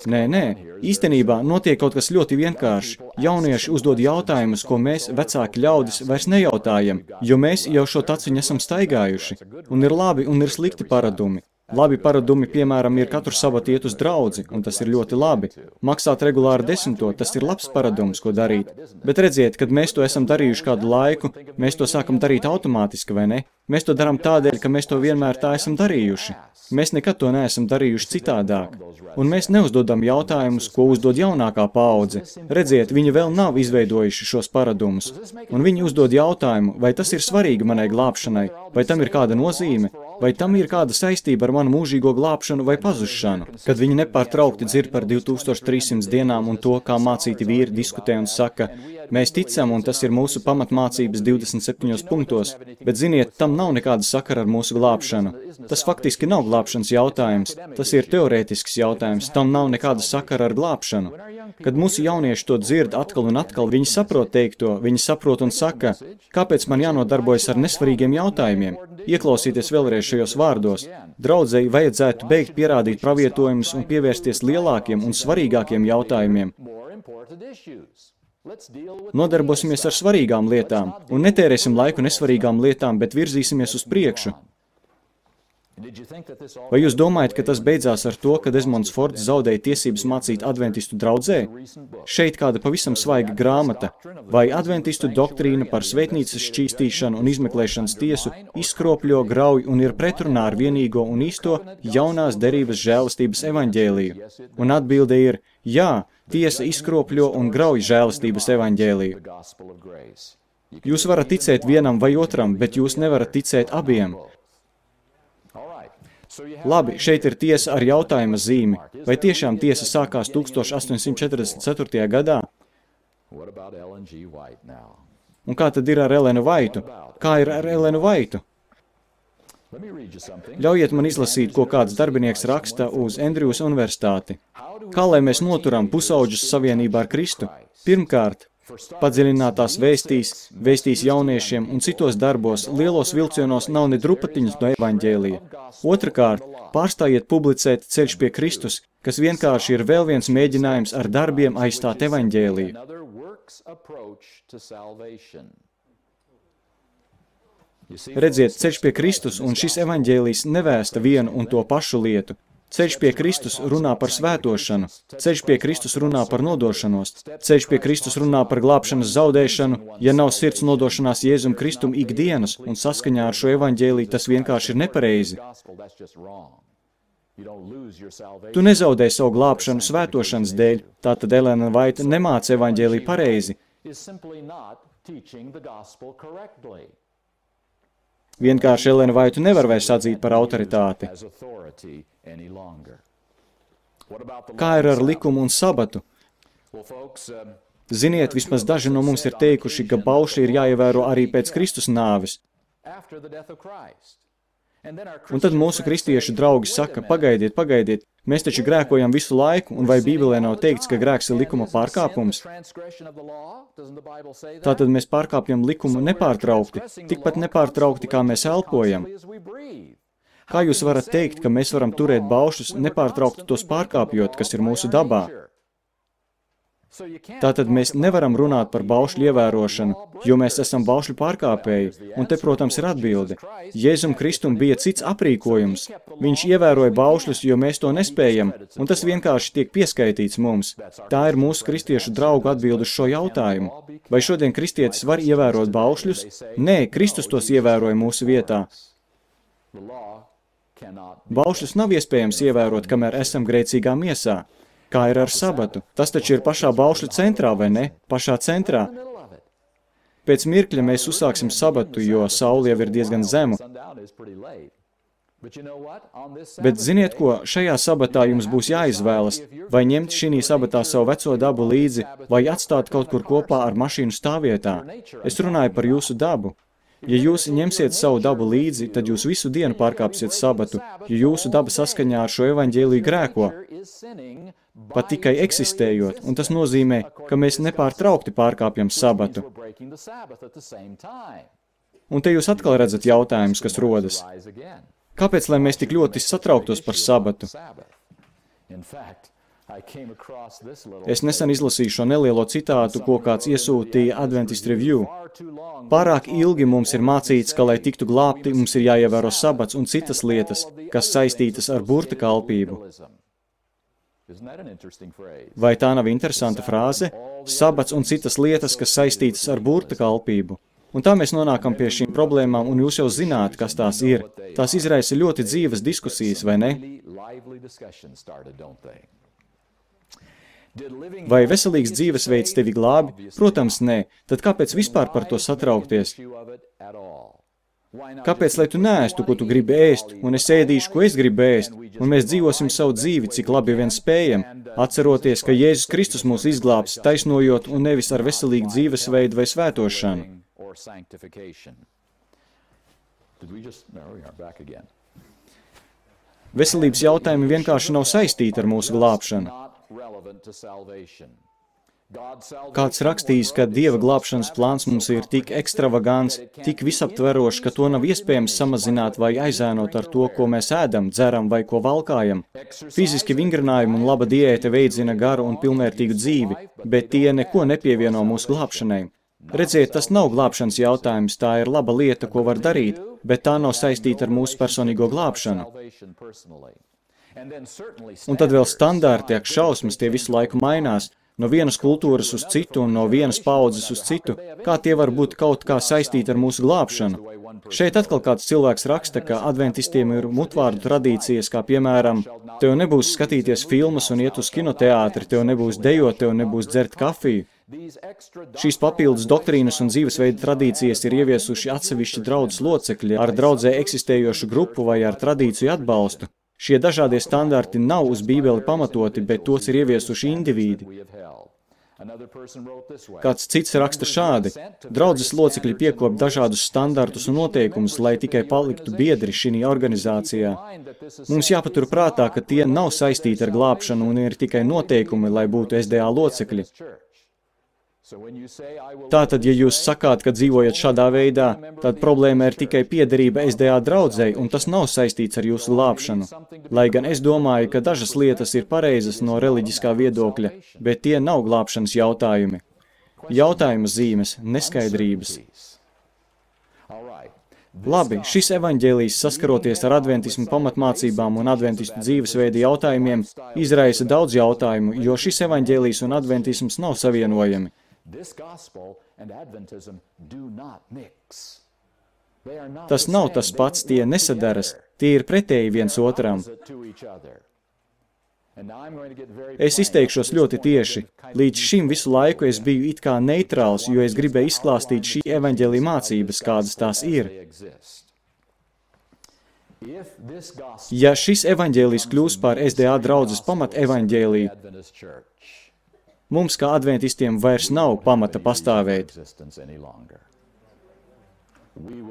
Nē, īstenībā notiek kaut kas ļoti vienkāršs. Jaunieši uzdod jautājumus, ko mēs, vecāki ļaudis, vairs nejautājam, jo mēs jau šo taciņu esam staigājuši. Un ir labi un ir slikti paradumi. Labi paradumi, piemēram, ir katru sabatu iet uz draudzi, un tas ir ļoti labi. Maksāt regulāri 10, tas ir labs paradums, ko darīt. Bet redziet, kad mēs to esam darījuši kādu laiku, mēs to sākam darīt automātiski, vai ne? Mēs to darām tādēļ, ka mēs to vienmēr tā esam darījuši. Mēs nekad to neesam darījuši citādāk. Un mēs neuzdodam jautājumus, ko uzdod jaunākā paudze. Redziet, viņi vēl nav izveidojuši šos paradumus. Un viņi uzdod jautājumu, vai tas ir svarīgi manai glābšanai, vai tam ir kāda nozīme, vai tam ir kāda saistība ar manu mūžīgo glābšanu vai pazušanu. Kad viņi nepārtraukti dzird par 2300 dienām un to, kā mācīti vīri diskutē un saka, mēs ticam, un tas ir mūsu pamatmācības 27 punktos, bet ziniet, tam nav nekāda sakara ar mūsu glābšanu. Tas faktiski nav glābšanas jautājums, tas ir teorētisks jautājums, tam nav nekāda sakara ar glābšanu. Kad mūsu jaunieši to dzird atkal un atkal, viņi saprot teikto, viņi saprot un saka, kāpēc man jānodarbojas ar nesvarīgiem jautājumiem? Ieklausīties vēlreiz šajos vārdos. Draudzei vajadzētu beigt pierādīt pravietojumus un pievērsties lielākiem un svarīgākiem jautājumiem. Nodarbosimies ar svarīgām lietām un netērēsim laiku nesvarīgām lietām, bet virzīsimies uz priekšu. Vai jūs domājat, ka tas beidzās ar to, ka Desmonds Fords zaudēja tiesības mācīt adventistu draudzē? Šeit kāda pavisam svaiga grāmata. Vai adventistu doktrīna par svētnīcas šķīstīšanu un izmeklēšanas tiesu izkropļo, grauj un ir pretrunā ar vienīgo un īsto jaunās derības žēlastības evaņģēliju? Un atbilde ir, jā, tiesa izkropļo un grauj žēlastības evaņģēliju. Jūs varat ticēt vienam vai otram, bet jūs nevarat ticēt abiem. Labi, šeit ir tiesa ar jautājuma zīmi. Vai tiešām tiesa sākās 1844. gadā? Un kā tad ir ar Elenu Vaitu? Kā ir ar Elenu Vaitu? Ļaujiet man izlasīt, ko kāds darbinieks raksta uz Andrews universitāti. Kā lai mēs noturam pusauģus savienībā ar Kristu? Pirmkārt, padziļinātās vēstīs jauniešiem un citos darbos lielos vilcienos nav ne drupatiņas no evaņģēlija. Otrakārt, pārstājiet publicēt Ceļš pie Kristus, kas vienkārši ir vēl viens mēģinājums ar darbiem aizstāt evaņģēliju. Redziet, Ceļš pie Kristus un šis evaņģēlijs nevēsta vienu un to pašu lietu. Ceļš pie Kristus runā par svētošanu, ceļš pie Kristus runā par nodošanos, ceļš pie Kristus runā par glābšanas zaudēšanu, ja nav sirds nodošanās Jēzum Kristum ikdienas un saskaņā ar šo evaņģēliju tas vienkārši ir nepareizi. Tu nezaudē savu glābšanu svētošanas dēļ, tātad Elena Vaita nemāca evaņģēliju pareizi. Vienkārši Elenu Vaitu nevar vairs atzīt par autoritāti. Kā ir ar likumu un sabatu? Ziniet, vismaz daži no mums ir teikuši, ka baušļi ir jāievēro arī pēc Kristus nāves. Un tad mūsu kristiešu draugi saka, pagaidiet, mēs taču grēkojam visu laiku, un vai Bībelē nav teikts, ka grēks ir likuma pārkāpums? Tātad mēs pārkāpjam likumu nepārtraukti, tikpat nepārtraukti, kā mēs elpojam. Kā jūs varat teikt, ka mēs varam turēt baušļus, nepārtraukti tos pārkāpjot, kas ir mūsu dabā? Tātad mēs nevaram runāt par baušļu ievērošanu, jo mēs esam baušļu pārkāpēji, un te, protams, ir atbilde. Jēzum Kristum bija cits aprīkojums. Viņš ievēroja baušļus, jo mēs to nespējam, un tas vienkārši tiek pieskaitīts mums. Tā ir mūsu kristiešu draugu atbilde uz šo jautājumu. Vai šodien kristietis var ievērot baušļus? Nē, Kristus tos ievēroja mūsu vietā. Baušļus nav iespējams ievērot, kamēr esam grēcīgā miesā. Kā ir ar sabatu? Tas taču ir pašā baušļu centrā, vai ne? Pašā centrā. Pēc mirkļa mēs uzsāksim sabatu, jo saule jau ir diezgan zemu. Bet ziniet ko, šajā sabatā jums būs jāizvēlas, vai ņemt šī sabatā savu veco dabu līdzi, vai atstāt kaut kur kopā ar mašīnu stāvvietā. Es runāju par jūsu dabu. Ja jūs ņemsiet savu dabu līdzi, tad jūs visu dienu pārkāpsiet sabatu, jo jūsu daba saskaņā ar šo evaņģēliju grēko, pat tikai eksistējot, un tas nozīmē, ka mēs nepārtraukti pārkāpjam sabatu. Un te jūs atkal redzat jautājumus, kas rodas. Kāpēc, lai mēs tik ļoti satrauktos par sabatu? Es nesen izlasīju šo nelielo citātu, ko kāds iesūtīja Adventist Review. Pārāk ilgi mums ir mācīts, ka, lai tiktu glābti, mums ir jāievēro sabats un citas lietas, kas saistītas ar burta kalpību. Vai tā nav interesanta frāze? Sabats un citas lietas, kas saistītas ar burta kalpību. Un tā mēs nonākam pie šīm problēmām, un jūs jau zināt, kas tās ir. Tās izraisa ļoti dzīvas diskusijas, vai ne? Vai veselīgs dzīvesveids tevi glābi? Protams, nē. Tad kāpēc vispār par to satraukties? Kāpēc, lai tu neēstu, ko tu gribi ēst, un es ēdīšu, ko es gribu ēst, un mēs dzīvosim savu dzīvi, cik labi vien spējam, atceroties, ka Jēzus Kristus mūs izglābs, taisnojot un nevis ar veselīgu dzīvesveidu vai svētošanu? Veselības jautājumi vienkārši nav saistīti ar mūsu glābšanu. Kāds rakstījis, ka Dieva glābšanas plāns mums ir tik ekstravagants, tik visaptverošs, ka to nav iespējams samazināt vai aizēnot ar to, ko mēs ēdam, dzeram vai ko valkājam. Fiziski vingrinājumi un laba diēta veicina garu un pilnvērtīgu dzīvi, bet tie neko nepievieno mūsu glābšanai. Redziet, tas nav glābšanas jautājums, tā ir laba lieta, ko var darīt, bet tā nav saistīta ar mūsu personīgo glābšanu. Un tad vēl standārti, ak šausmas, tie visu laiku mainās, no vienas kultūras uz citu un no vienas paudzes uz citu, kā tie var būt kaut kā saistīti ar mūsu glābšanu. Šeit atkal kāds cilvēks raksta, ka adventistiem ir mutvārdu tradīcijas, kā piemēram, tev nebūs skatīties filmas un iet uz kinoteātri, tev nebūs dejot, tev nebūs dzert kafiju. Šīs papildus doktrīnas un dzīvesveida tradīcijas ir ieviesuši atsevišķi draudzes locekļi ar draudzē eksistējošu grupu vai ar tradīciju atbalstu. Šie dažādie standarti nav uz Bībeli pamatoti, bet tos ir ieviesuši indivīdi. Kāds cits raksta šādi: draudzes locekļi piekop dažādus standartus un noteikumus, lai tikai paliktu biedri šī organizācijā. Mums jāpatur prātā, ka tie nav saistīti ar glābšanu un ir tikai noteikumi, lai būtu SDA locekļi. Tātad, ja jūs sakāt, ka dzīvojat šādā veidā, tad problēma ir tikai piederība SDA draudzei, un tas nav saistīts ar jūsu glābšanu. Lai gan es domāju, ka dažas lietas ir pareizas no reliģiskā viedokļa, bet tie nav glābšanas jautājumi. Jautājuma zīmes, neskaidrības. Labi, šis evaņģēlijs, saskaroties ar adventismu pamatmācībām un adventistu dzīvesveida jautājumiem, izraisa daudz jautājumu, jo šis evaņģēlijs un adventisms nav savienojami. Tas nav tas pats, tie nesadaras, tie ir pretēji viens otram. Es izteikšos ļoti tieši. Līdz šim visu laiku es biju it kā neitrāls, jo es gribēju izklāstīt šī evaņģēlija mācības, kādas tās ir. Ja šis evaņģēlijs kļūs par SDA draudzes pamat evaņģēliju, mums kā adventistiem vairs nav pamata pastāvēt.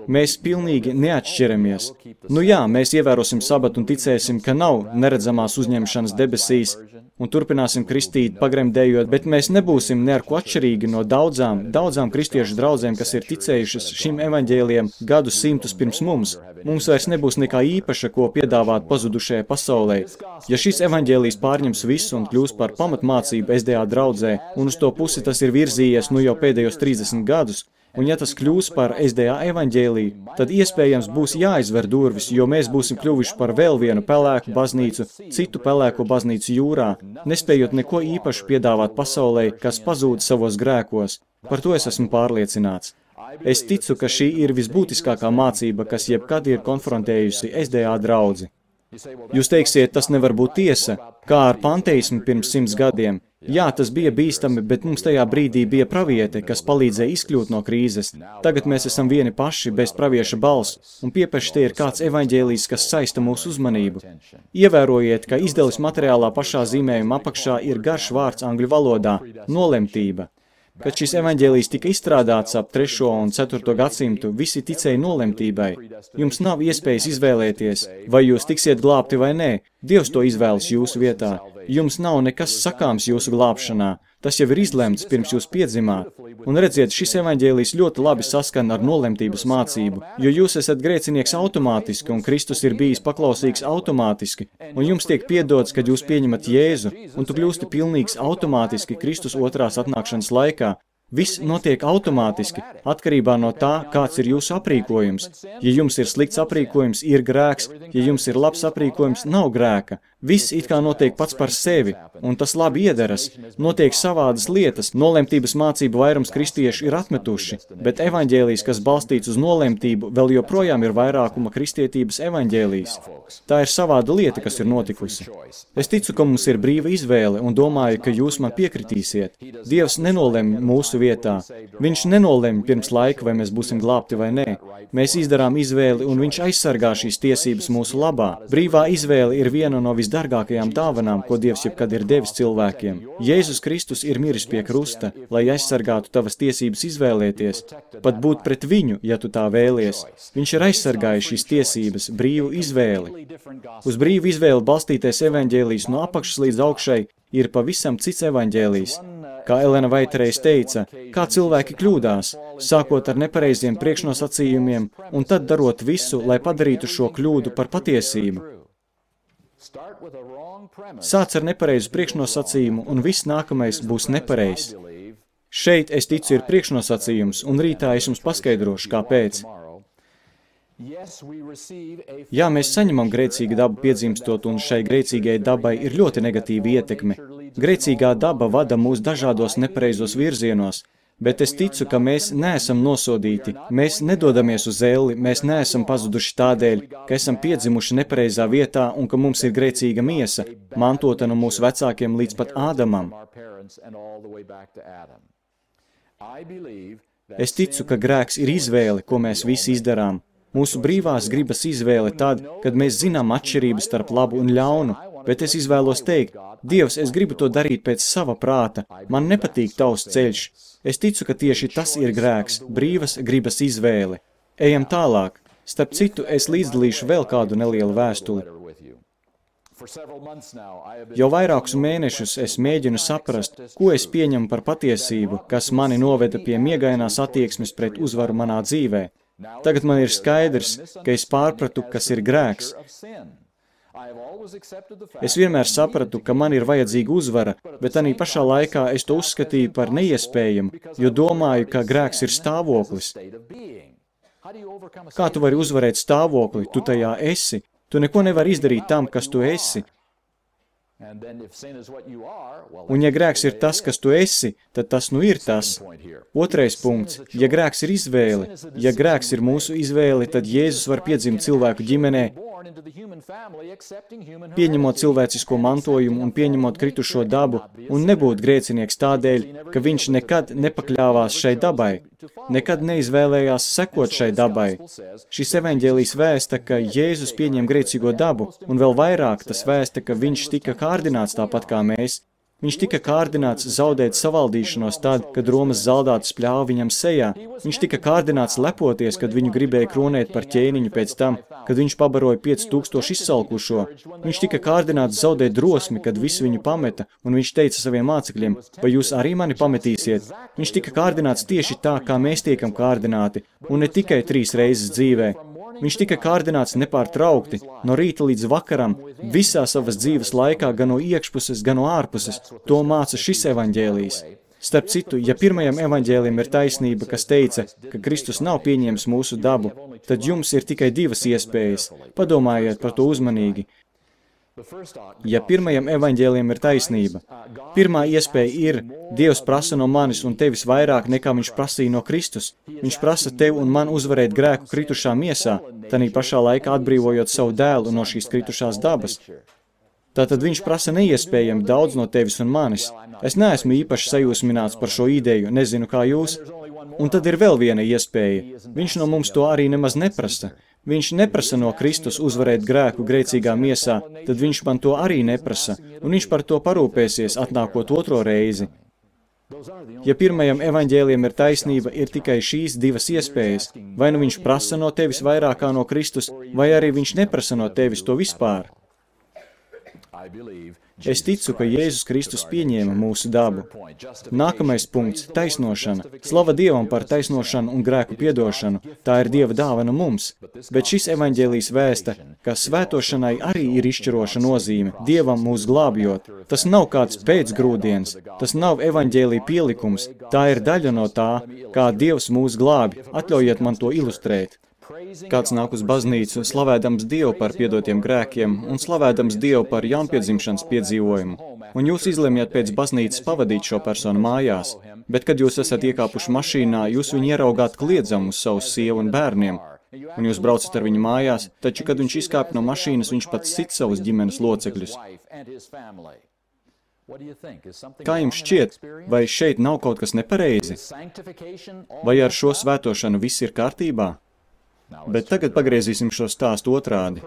Mēs pilnīgi neatšķiramies. Nu jā, mēs ievērosim sabatu un ticēsim, ka nav neredzamās uzņemšanas debesīs un turpināsim kristīt, pagremdējot, bet mēs nebūsim ne ar ko atšķirīgi no daudzām kristiešu draudzēm, kas ir ticējušas šim evaņģēlijam gadus simtus pirms mums. Mums vairs nebūs nekā īpaša, ko piedāvāt pazudušajai pasaulē. Ja šis evaņģēlijs pārņems visu un kļūs par pamatmācību SDA draudzē, un uz to pusi tas ir virzījies nu jau pēdējos 30 gadus, un ja tas kļūs par SDA evaņģēliju, tad iespējams būs jāizver durvis, jo mēs būsim kļuvuši par vēl vienu pelēku baznīcu, citu pelēko baznīcu jūrā, nespējot neko īpašu piedāvāt pasaulē, kas pazūd savos grēkos. Par to es esmu pārliecināts. Es ticu, ka šī ir visbūtiskākā mācība, kas jebkad ir konfrontējusi SDA draudzi. Jūs teiksiet, tas nevar būt tiesa, kā ar panteismu pirms 100 gadiem. Jā, tas bija bīstami, bet mums tajā brīdī bija praviete, kas palīdzēja izkļūt no krīzes. Tagad mēs esam vieni paši, bez pravieša balss, un piepeši te ir kāds evaņģēlijs, kas saista mūsu uzmanību. Ievērojiet, ka izdeles materiālā pašā zīmējuma apakšā ir garš vārds angļu valodā – nolemtība. Kad šis evaņģēlijs tika izstrādāts ap 3. un 4. gadsimtu, visi ticēja nolemtībai. Jums nav iespējas izvēlēties, vai jūs tiksiet glābti vai nē. Dievs to izvēlas jūsu vietā. Jums nav nekas sakāms jūsu glābšanā. Tas jau ir izlemts, pirms jūs piedzimāt. Un redziet, šis evaņģēlijs ļoti labi saskan ar nolemtības mācību, jo jūs esat grēcinieks automātiski, un Kristus ir bijis paklausīgs automātiski, un jums tiek piedots, kad jūs pieņemat Jēzu, un tu kļūsti pilnīgs automātiski Kristus otrās atnākšanas laikā. Viss notiek automātiski, atkarībā no tā, kāds ir jūsu aprīkojums. Ja jums ir slikts aprīkojums, ir grēks, ja jums ir labs aprīkojums, nav grēka. Viss it kā notiek pats par sevi, un tas labi iederas. Notiek savādas lietas, nolemtības mācību vairums kristieši ir atmetuši, bet evaņģēlijs, kas balstīts uz nolemtību, vēl joprojām ir vairākuma kristietības evaņģēlijs. Tā ir savāda lieta, kas ir notikusi. Es ticu, ka mums ir brīva izvēle, un domāju, ka jūs man piekritīsiet. Dievs nenolem mūsu vietā. Viņš nenolem pirms laika, vai mēs būsim glābti vai nē. Mēs izdarām izvēli, un viņš aizsargā šīs tiesības mūsu labā. Brīvā izvēle ir viena no visdārgākajām dāvanām, ko Dievs jebkad ir devis cilvēkiem. Jēzus Kristus ir miris pie krusta, lai aizsargātu tavas tiesības izvēlēties, pat būt pret viņu, ja tu tā vēlies. Viņš ir aizsargājis šīs tiesības, brīvu izvēli. Uz brīvu izvēli balstītais evaņģēlijs no apakšas līdz augšai ir pavisam cits evaņģēlijs. Kā Elena Vaitereiz teica, kā cilvēki kļūdās, sākot ar nepareiziem priekšnosacījumiem un tad darot visu, lai padarītu šo kļūdu par patiesību. Sāc ar nepareizu priekšnosacījumu, un viss nākamais būs nepareizs. Šeit, es ticu, ir priekšnosacījums, un rītā es jums paskaidrošu, kāpēc. Jā, mēs saņemam grēcīgu dabu piedzimstot, un šai grēcīgai dabai ir ļoti negatīva ietekme. Grēcīgā daba vada mūs dažādos nepareizos virzienos, bet es ticu, ka mēs neesam nosodīti, mēs nedodamies uz elli, mēs neesam pazuduši tādēļ, ka esam piedzimuši nepareizā vietā un ka mums ir grēcīga miesa, mantota no mūsu vecākiem līdz pat Ādamam. Es ticu, ka grēks ir izvēle, ko mēs visi izdarām. Mūsu brīvās gribas izvēle tad, kad mēs zinām atšķirības starp labu un ļaunu. bet es izvēlos teikt, Dievs, es gribu to darīt pēc sava prāta, man nepatīk tavs ceļš. Es ticu, ka tieši tas ir grēks, brīvas gribas izvēle. Ejam tālāk. Starp citu, es līdzdalīšu vēl kādu nelielu vēstuli. Jau vairākus mēnešus es mēģinu saprast, ko es pieņemu par patiesību, kas mani noveda pie miegainās attieksmes pret uzvaru manā dzīvē. Tagad man ir skaidrs, ka es pārpratu, kas ir grēks. Es vienmēr sapratu, ka man ir vajadzīga uzvara, bet arī pašā laikā es to uzskatīju par neiespējamu, jo domāju, ka grēks ir stāvoklis. Kā tu vari uzvarēt stāvokli? Tu tajā esi. Tu neko nevari izdarīt tam, kas tu esi. Un ja grēks ir tas, kas tu esi, tad tas nu ir tas. Otrais punkts. Ja grēks ir izvēle, ja grēks ir mūsu izvēle, tad Jēzus var piedzimt cilvēku ģimenē, pieņemot cilvēcisko mantojumu un pieņemot kritušo dabu, un nebūt grēcinieks tādēļ, ka viņš nekad nepakļāvās šai dabai, nekad neizvēlējās sekot šai dabai. Šis evaņģēlijs vēsta, ka Jēzus pieņem grēcīgo dabu, un vēl vairāk tas vēsta, ka viņš tika kārdināts tāpat kā mēs. Viņš tika kārdināts zaudēt savaldīšanos tad, kad Romas zaldātus pļāva viņam sejā. Viņš tika kārdināts lepoties, kad viņu gribēja kronēt par ķēniņu pēc tam, kad viņš pabaroja 5000 izsalkušo. Viņš tika kārdināts zaudēt drosmi, kad visi viņu pameta, un viņš teica saviem mācekļiem, vai jūs arī mani pametīsiet? Viņš tika kārdināts tieši tā, kā mēs tiekam kārdināti, un ne tikai 3 reizes dzīvē. Viņš tika kārdināts nepārtraukti, no rīta līdz vakaram, visā savas dzīves laikā, gan no iekšpuses, gan no ārpuses. To māca šis evaņģēlijs. Starp citu, ja pirmajam evaņģēlijam ir taisnība, kas teica, ka Kristus nav pieņēmis mūsu dabu, tad jums ir tikai 2 iespējas. Padomājiet par to uzmanīgi. Ja pirmajam evaņģēlijam ir taisnība, pirmā iespēja ir, Dievs prasa no manis un tevis vairāk nekā viņš prasīja no Kristus. Viņš prasa tev un man uzvarēt grēku kritušā miesā, tanī pašā laikā atbrīvojot savu dēlu no šīs kritušās dabas. Tātad viņš prasa neiespējami daudz no tevis un manis. Es neesmu īpaši sajūsmināts par šo ideju, nezinu kā jūs. Un tad ir vēl viena iespēja. Viņš no mums to arī nemaz neprasa. Viņš neprasa no Kristus uzvarēt grēku grēcīgā miesā, tad viņš man to arī neprasa, un viņš par to parūpēsies, atnākot 2. reizi. Ja pirmajam evaņģēlijam ir taisnība, ir tikai šīs 2 iespējas. Vai nu viņš prasa no tevis vairāk kā no Kristus, vai arī viņš neprasa no tevis to vispār. Es ticu, ka Jēzus Kristus pieņēma mūsu dabu. Nākamais punkts – taisnošana. Slava Dievam par taisnošanu un grēku piedošanu. Tā ir Dieva dāvana mums. Bet šis evaņģēlijs vēsta, ka svētošanai arī ir izšķiroša nozīme, Dievam mūs glābjot. Tas nav kāds pēcgrūdienis, tas nav evaņģēlija pielikums, tā ir daļa no tā, kā Dievs mūs glābj. Atļaujiet man to ilustrēt. Kāds nāk uz baznīcu, slavēdams Dievu par piedotiem grēkiem un slavēdams Dievu par jaunpiedzimšanas piedzīvojumu. Un jūs izlemjat pēc baznīcas pavadīt šo personu mājās, bet kad jūs esat iekāpuši mašīnā, jūs viņu ieraugāt kliedzam uz savu sievu un bērniem. Un jūs braucat ar viņu mājās, taču, kad viņš izkāp no mašīnas, viņš pats sit savus ģimenes locekļus. Kā jums šķiet, vai šeit nav kaut kas nepareizi? Vai ar šo svētošanu viss ir kārtībā? Bet tagad pagriezīsim šo stāstu otrādi.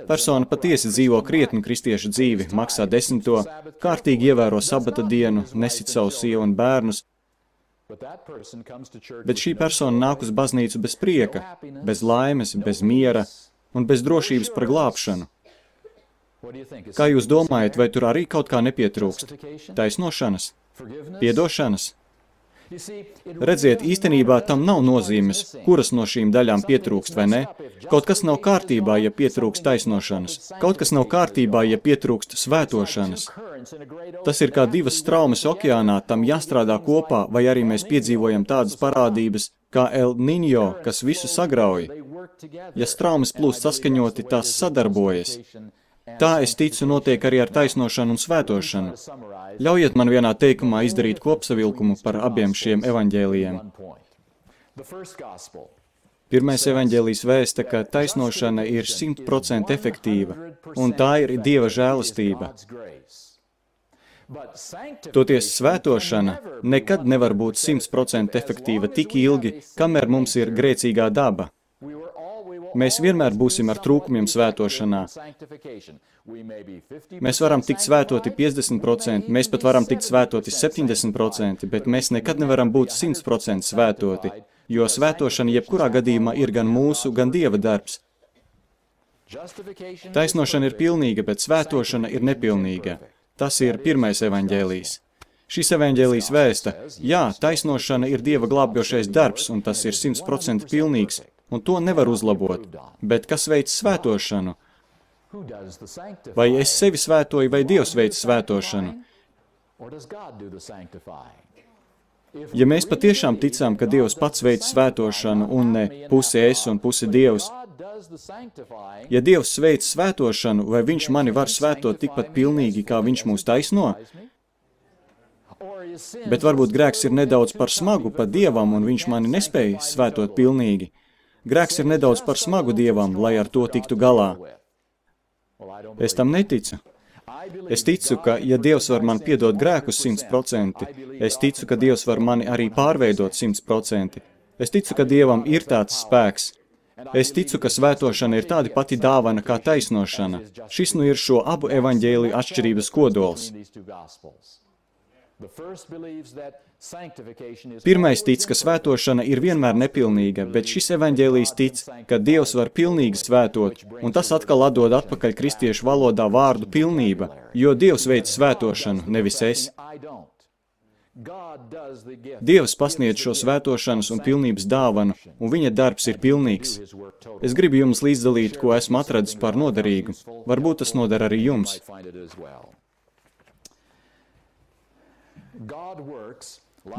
Persona patiesi dzīvo krietnu kristiešu dzīvi, maksā 10, kārtīgi ievēro sabata dienu, nesit savu sievu un bērnus, bet šī persona nāk uz baznīcu bez prieka, bez laimes, bez miera un bez drošības par glābšanu. Kā jūs domājat, vai tur arī kaut kā nepietrūkst? Taisnošanas? Piedošanas? Redziet, īstenībā tam nav nozīmes, kuras no šīm daļām pietrūkst vai ne. Kaut kas nav kārtībā, ja pietrūkst taisnošanas. Kaut kas nav kārtībā, ja pietrūkst svētošanas. Tas ir kā 2 straumes okeānā, tam jāstrādā kopā, vai arī mēs piedzīvojam tādas parādības kā El Niño, kas visu sagrauj. Ja straumes plūst saskaņoti, tās sadarbojas. Tā, es ticu, notiek arī ar taisnošanu un svētošanu. Ļaujiet man vienā teikumā izdarīt kopsavilkumu par abiem šiem evaņģēlijiem. Pirmais evaņģēlijs vēsta, ka taisnošana ir 100% efektīva, un tā ir Dieva žēlastība. Toties svētošana nekad nevar būt 100% efektīva tik ilgi, kamēr mums ir grēcīgā daba. Mēs vienmēr būsim ar trūkumiem svētošanā. Mēs varam tikt svētoti 50%, mēs pat varam tikt svētoti 70%, bet mēs nekad nevaram būt 100% svētoti, jo svētošana jebkurā gadījumā ir gan mūsu, gan Dieva darbs. Taisnošana ir pilnīga, bet svētošana ir nepilnīga. Tas ir pirmais evaņģēlijs. Šis evaņģēlijs vēsta, jā, taisnošana ir Dieva glābjošais darbs, un tas ir 100% pilnīgs, un to nevar uzlabot. Bet kas veic svētošanu? Vai es sevi svētoju, vai Dievs veic svētošanu? Ja mēs patiešām ticām, ka Dievs pats veic svētošanu, un ne pusi es un pusi Dievs, ja Dievs veic svētošanu, vai Viņš mani var svētot tikpat pilnīgi, kā Viņš mūs taisno? Bet varbūt grēks ir nedaudz par smagu pat Dievam, un Viņš mani nespēja svētot pilnīgi. Grēks ir nedaudz par smagu Dievam, lai ar to tiktu galā. Es tam neticu. Es ticu, ka, ja Dievs var man piedot grēkus 100%, es ticu, ka Dievs var mani arī pārveidot 100%. Es ticu, ka Dievam ir tāds spēks. Es ticu, ka svētošana ir tāda pati dāvana kā taisnošana. Šis nu ir šo abu evaņģēliju atšķirības kodols. Pirmais tic, ka svētošana ir vienmēr nepilnīga, bet šis evaņģēlijs tic, ka Dievs var pilnīgi svētot, un tas atkal atdod atpakaļ kristiešu valodā vārdu pilnība, jo Dievs veic svētošanu, nevis es. Dievs pasniedz šo svētošanas un pilnības dāvanu, un viņa darbs ir pilnīgs. Es gribu jums līdzdalīt, ko esmu atradis par noderīgu. Varbūt tas noder arī jums.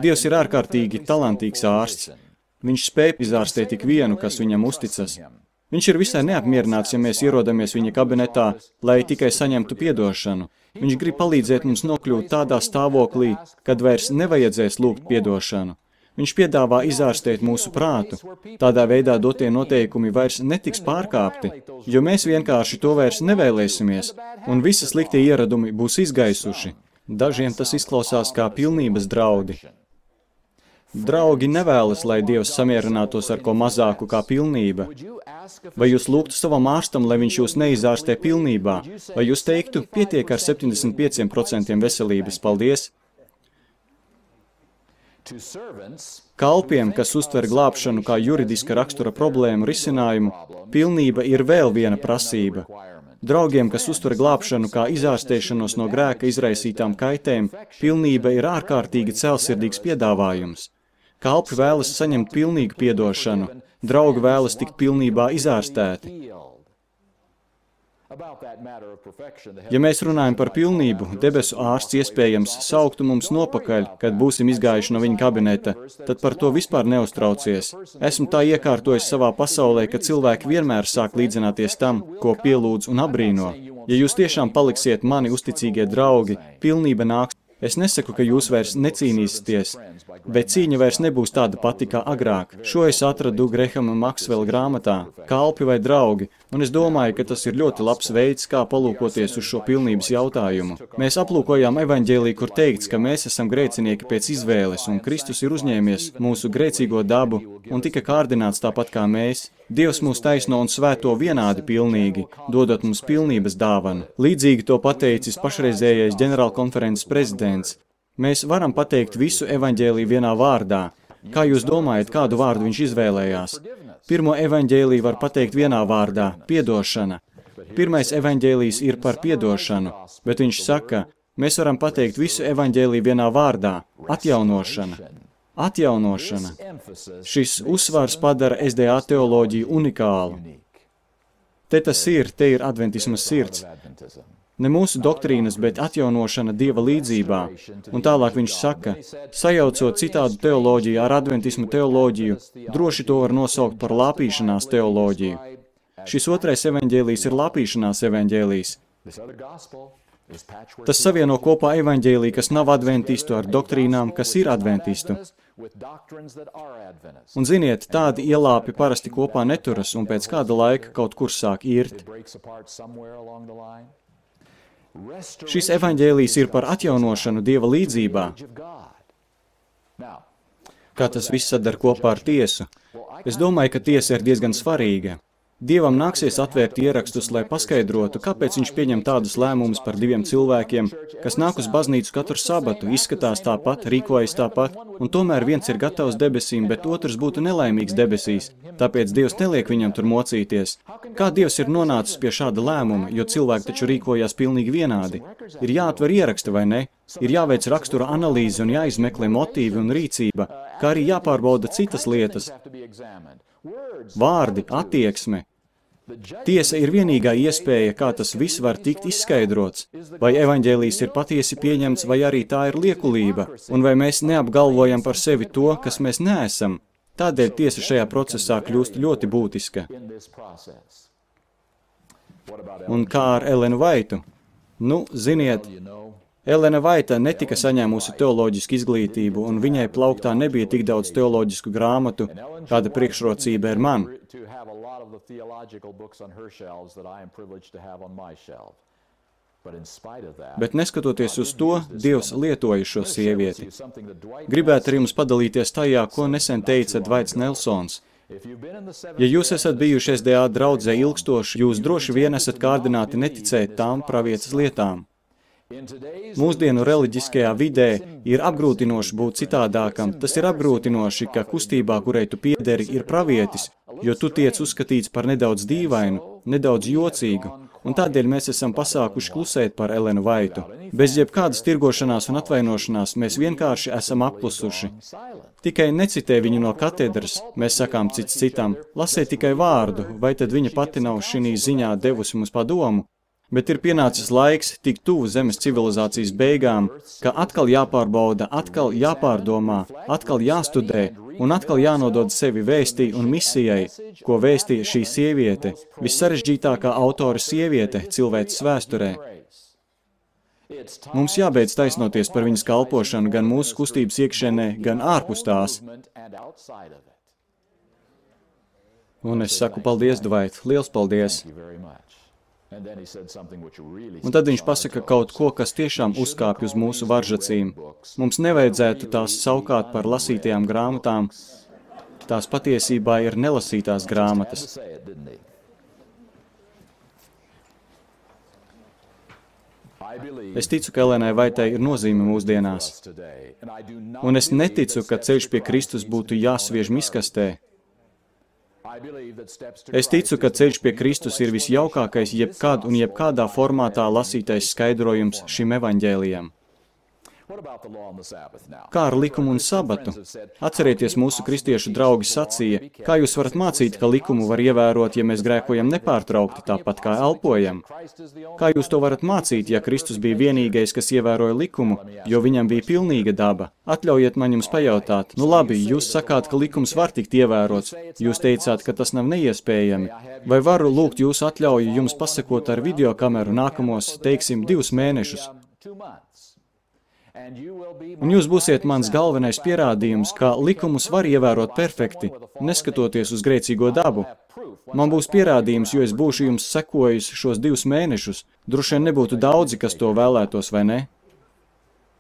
Dievs ir ārkārtīgi talantīgs ārsts. Viņš spēj izārstēt tik vienu, kas viņam uzticas. Viņš ir visai neapmierināts, ja mēs ierodamies viņa kabinetā, lai tikai saņemtu piedošanu. Viņš grib palīdzēt mums nokļūt tādā stāvoklī, kad vairs nevajadzēs lūgt piedošanu. Viņš piedāvā izārstēt mūsu prātu. Tādā veidā dotie noteikumi vairs netiks pārkāpti, jo mēs vienkārši to vairs nevēlēsimies, un visi sliktie ieradumi būs izgaisuši. Dažiem tas izklausās kā pilnības draudi. Draugi nevēlas, lai Dievs samierinātos ar ko mazāku kā pilnība. Vai jūs lūgtu savam ārstam, lai viņš jūs neizārstē pilnībā? Vai jūs teiktu, pietiek ar 75% veselības, paldies? Kalpiem, kas uztver glābšanu kā juridiska rakstura problēmu risinājumu, pilnība ir vēl viena prasība. Draugiem, kas uztver glābšanu kā izārstēšanos no grēka izraisītām kaitēm, pilnība ir ārkārtīgi cēlsirdīgs piedāvājums. Kalpi vēlas saņemt pilnīgu piedošanu, draugi vēlas tikt pilnībā izārstēti. Ja mēs runājam par pilnību, debesu ārsts iespējams sauktu mums nopakaļ, kad būsim izgājuši no viņa kabineta, tad par to vispār neuztraucies. Esmu tā iekārtojis savā pasaulē, ka cilvēki vienmēr sāk līdzināties tam, ko pielūdz un abrīno. Ja jūs tiešām paliksiet mani uzticīgie draugi, pilnība nāks. Es nesaku, ka jūs vairs necīnīsieties, bet cīņa vairs nebūs tāda pati kā agrāk. Šo es atradu Grehama Maksvela grāmatā, Kalpi vai draugi, un es domāju, ka tas ir ļoti labs veids, kā palūkoties uz šo pilnības jautājumu. Mēs aplūkojām evaņģēliju, kur teikts, ka mēs esam grēcinieki pēc izvēles, un Kristus ir uzņēmies mūsu grēcīgo dabu un tika kārdināts tāpat kā mēs. Dievs mūs taisno un svēto vienādi pilnīgi, dodot mums pilnības dāvanu. Līdzīgi to pateicis pašreizējais ģenerālkonferences prezidents. Mēs varam pateikt visu evaņģēliju vienā vārdā. Kā jūs domājat, kādu vārdu viņš izvēlējās? Pirmo evaņģēliju var pateikt vienā vārdā – piedošana. Pirmais evaņģēlijs ir par piedošanu, bet viņš saka, mēs varam pateikt visu evaņģēliju vienā vārdā – atjaunošana. Atjaunošana. Šis uzsvars padara SDA teoloģiju unikālu. Te ir adventisma sirds. Ne mūsu doktrīnas, bet atjaunošana Dieva līdzībā. Un tālāk viņš saka, sajaucot citādu teoloģiju ar adventismu teoloģiju, droši to var nosaukt par lāpīšanās teoloģiju. Šis otrais evaņģēlijs ir lāpīšanās evaņģēlijs. Tas savieno kopā evaņģēliju, kas nav adventistu, ar doktrīnām, kas ir adventistu. Un ziniet, tādi ielāpi parasti kopā neturas un pēc kāda laika kaut kur sāk irt. Šis evaņģēlijs ir par atjaunošanu Dieva līdzībā. Kā tas viss sadar kopā ar tiesu? Es domāju, ka tiesa ir diezgan svarīga. Dievam nāksies atvērt ierakstus, lai paskaidrotu, kāpēc viņš pieņem tādus lēmumus par diviem cilvēkiem, kas nāk uz baznīcu katru sabatu, izskatās tāpat, rīkojas tāpat, un tomēr viens ir gatavs debesīm, bet otrs būtu nelaimīgs debesīs. Tāpēc Dievs neliek viņam tur mocīties. Kā Dievs ir nonācis pie šāda lēmuma, jo cilvēki taču rīkojās pilnīgi vienādi? Ir jāatver ieraksti, vai ne? Ir jāveic rakstura analīze un jāizmeklē motīvi un rīcība, kā arī jāpārbauda citas lietas. Vārdi, attieksme. Tiesa ir vienīgā iespēja, kā tas viss var tikt izskaidrots. Vai evaņģēlijs ir patiesi pieņemts, vai arī tā ir liekulība, un vai mēs neapgalvojam par sevi to, kas mēs neesam. Tādēļ tiesa šajā procesā kļūst ļoti būtiska. Un kā ar Elenu Vaitu? Nu, ziniet, Elena Vaita netika saņēmusi teoloģisku izglītību, un viņai plauktā nebija tik daudz teoloģisku grāmatu, kāda priekšrocība ir man. Bet neskatoties uz to, Dievs lietoja šo sievieti. Gribētu ar jums padalīties tajā, ko nesen teica Dvaits Nelsons. Ja jūs esat bijuši SDA draudzē ilgstoši, jūs droši vien esat kārdināti neticēt tām pravietas lietām. Mūsdienu reliģiskajā vidē ir apgrūtinoši būt citādākam. Tas ir apgrūtinoši, ka kustībā, kurai tu piederi, ir pravietis, jo tu tiec uzskatīts par nedaudz dīvainu, nedaudz jocīgu, un tādēļ mēs esam pasākuši klusēt par Elenu Vaitu. Bez jebkādas tirgošanās un atvainošanās mēs vienkārši esam apklusuši. Tikai necitē viņu no katedras, mēs sakām cits citam, lasē tikai vārdu, vai tad viņa pati nav šī ziņā devusi mums padomu? Bet ir pienācis laiks tik tuvu zemes civilizācijas beigām, ka atkal jāpārbauda, atkal jāpārdomā, atkal jāstudē un atkal jānodod sevi vēstī un misijai, ko vēstīja šī sieviete, vissarežģītākā autora sieviete cilvēces vēsturē. Mums jābeidz taisnoties par viņas kalpošanu gan mūsu kustības iekšienē, gan ārpus tās. Un es saku paldies, Dvait, liels paldies! Un tad viņš pasaka kaut ko, kas tiešām uzkāpj uz mūsu varžacīm. Mums nevajadzētu tās saukāt par lasītajām grāmatām. Tās patiesībā ir nelasītās grāmatas. Es ticu, ka Elenai Vaitai ir nozīme mūsdienās. Un es neticu, ka ceļš pie Kristus būtu jāsviež miskastē. Es ticu, ka ceļš pie Kristus ir visjaukākais jebkad un jebkādā formātā lasītais skaidrojums šim evaņģēlijam. Kā ar likumu un sabatu? Atcerieties, mūsu kristiešu draugi sacīja, kā jūs varat mācīt, ka likumu var ievērot, ja mēs grēkojam nepārtraukti, tāpat kā elpojam? Kā jūs to varat mācīt, ja Kristus bija vienīgais, kas ievēroja likumu, jo viņam bija pilnīga daba? Atļaujiet man jums pajautāt. Nu labi, jūs sakāt, ka likums var tikt ievērots. Jūs teicāt, ka tas nav neiespējami. Vai varu lūgt jūsu atļauju jums pasakot ar videokameru nākamos, teiksim, 2 mēnešus? Un jūs būsiet mans galvenais pierādījums, ka likumus var ievērot perfekti, neskatoties uz grēcīgo dabu. Man būs pierādījums, jo es būšu jums sekojis šos 2 mēnešus. Droši vien nebūtu daudzi, kas to vēlētos, vai ne?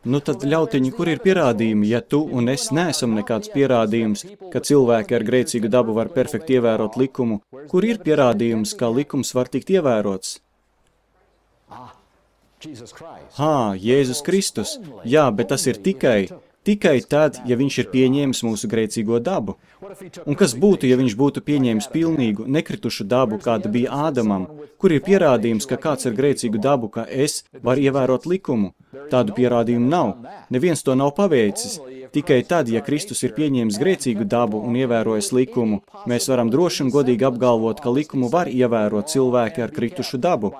Nu tad, ļautiņi, kur ir pierādījumi, ja tu un es neesam nekāds pierādījums, ka cilvēki ar grēcīgu dabu var perfekti ievērot likumu? Kur ir pierādījums, ka likums var tikt ievērots? Jēzus Kristus. Jā, bet tas ir tikai tad, ja viņš ir pieņēmis mūsu grēcīgo dabu. Un kas būtu, ja viņš būtu pieņēmis pilnīgu, nekritušu dabu, kāda bija Ādamam? Kur ir pierādījums, ka kāds ar grēcīgu dabu, ka es varu ievērot likumu? Tādu pierādījumu nav. Neviens to nav paveicis. Tikai tad, ja Kristus ir pieņēmis grēcīgu dabu un ievērojis likumu, mēs varam droši un godīgi apgalvot, ka likumu var ievērot cilvēki ar kritušu dabu.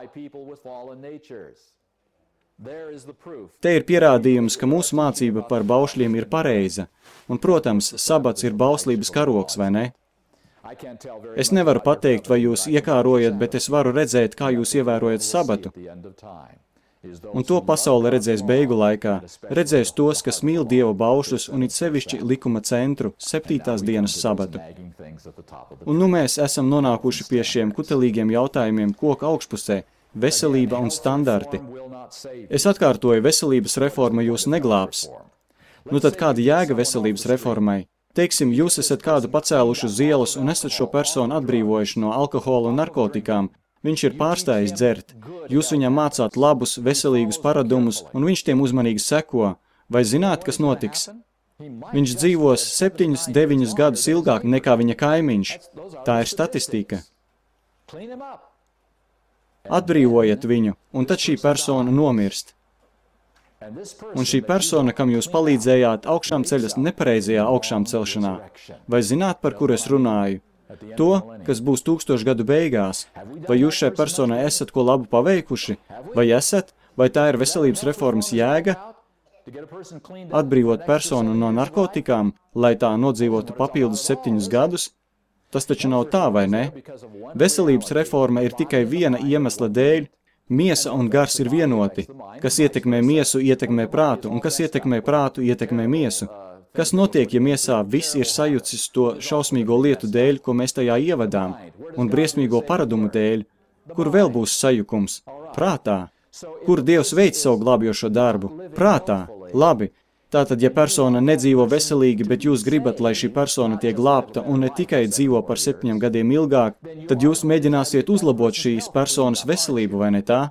Te ir pierādījums, ka mūsu mācība par baušļiem ir pareiza. Un, protams, sabats ir bauslības karoks, vai ne? Es nevaru pateikt, vai jūs iekārojat, bet es varu redzēt, kā jūs ievērojat sabatu. Un to pasaule redzēs beigu laikā. Redzēs tos, kas mīl Dieva baušļus un it sevišķi likuma centru, 7. dienas sabatu. Un nu mēs esam nonākuši pie šiem kutelīgiem jautājumiem koka augšpusē. Veselība un standarti. Es atkārtoju, veselības reforma jūs neglābs. Nu tad kāda jēga veselības reformai? Teiksim, jūs esat kādu pacēluši uz ielas un esat šo personu atbrīvojuši no alkohola un narkotikām. Viņš ir pārstājis dzert. Jūs viņam mācāt labus, veselīgus paradumus, un viņš tiem uzmanīgi seko. Vai zināt, kas notiks? Viņš dzīvos 7-9 gadus ilgāk nekā viņa kaimiņš. Tā ir statistika. Atbrīvojiet viņu, un tad šī persona nomirst. Un šī persona, kam jūs palīdzējāt, augšām ceļas nepareizajā augšām celšanā. Vai zināt, par kur es runāju? To, kas būs 1000 gadu beigās. Vai jūs šai personai esat ko labu paveikuši? Vai esat? Vai tā ir veselības reformas jēga? Atbrīvot personu no narkotikām, lai tā nodzīvotu papildus 7 gadus? Tas taču nav tā, vai ne? Veselības reforma ir tikai viena iemesla dēļ. Miesa un gars ir vienoti. Kas ietekmē miesu, ietekmē prātu, un kas ietekmē prātu, ietekmē miesu. Kas notiek, ja miesā viss ir sajucis to šausmīgo lietu dēļ, ko mēs tajā ievadām, un briesmīgo paradumu dēļ? Kur vēl būs sajukums? Prātā. Kur Dievs veic savu glābjošo darbu? Prātā. Labi. Tātad, ja persona nedzīvo veselīgi, bet jūs gribat, lai šī persona tiek glābta un ne tikai dzīvo par 7 gadiem ilgāk, tad jūs mēģināsiet uzlabot šīs personas veselību, vai ne tā?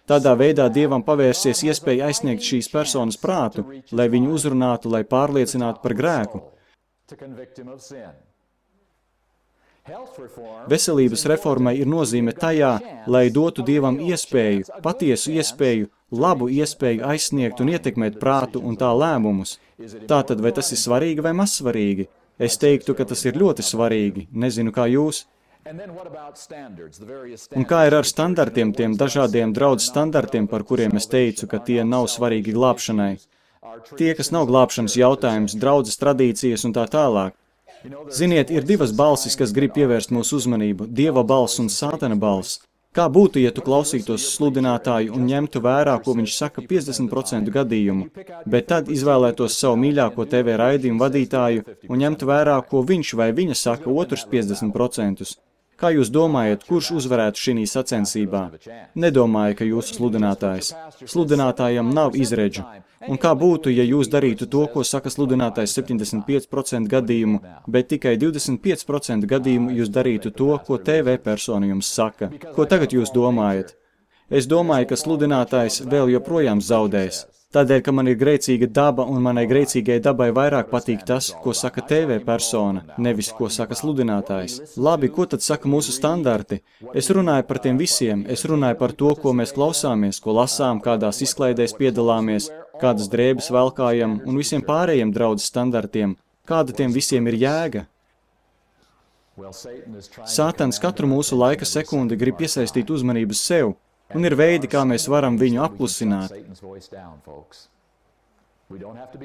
Tādā veidā Dievam pavērsies iespēja aizsniegt šīs personas prātu, lai viņu uzrunātu, lai pārliecinātu par grēku. Veselības reformai ir nozīme tajā, lai dotu Dievam iespēju, patiesu iespēju, labu iespēju aizsniegt un ietekmēt prātu un tā lēmumus. Tātad, vai tas ir svarīgi vai mazsvarīgi? Es teiktu, ka tas ir ļoti svarīgi. Nezinu, kā jūs. Un kā ir ar standartiem, tiem dažādiem draudz standartiem, par kuriem es teicu, ka tie nav svarīgi glābšanai? Tie, kas nav glābšanas jautājums, draudzes tradīcijas un tā tālāk. Ziniet, ir divas balsis, kas grib pievērst mūsu uzmanību – Dieva balss un Sātana balss. Kā būtu, ja tu klausītos sludinātāju un ņemtu vērā, ko viņš saka 50% gadījumu, bet tad izvēlētos savu mīļāko TV raidījumu vadītāju un ņemtu vērā, ko viņš vai viņa saka otrs 50%? Kā jūs domājat, kurš uzvarētu šī sacensībā? Nedomāju, ka jūsu sludinātājs. Sludinātājam nav izredžu. Un kā būtu, ja jūs darītu to, ko saka sludinātājs 75% gadījumu, bet tikai 25% gadījumu jūs darītu to, ko TV persona jums saka? Ko tagad jūs domājat? Es domāju, ka sludinātājs vēl joprojām zaudēs. Tādēļ, ka man ir grēcīga daba un manai grēcīgai dabai vairāk patīk tas, ko saka TV persona, nevis ko saka sludinātājs. Labi, ko tad saka mūsu standarti? Es runāju par tiem visiem, es runāju par to, ko mēs klausāmies, ko lasām, kādās izklaidēs piedalāmies, kādas drēbes velkājam un visiem pārējiem draudzes standartiem. Kāda tiem visiem ir jēga? Sātans katru mūsu laika sekundi grib piesaistīt uzmanību sev. Un ir veidi, kā mēs varam viņu apklusināt.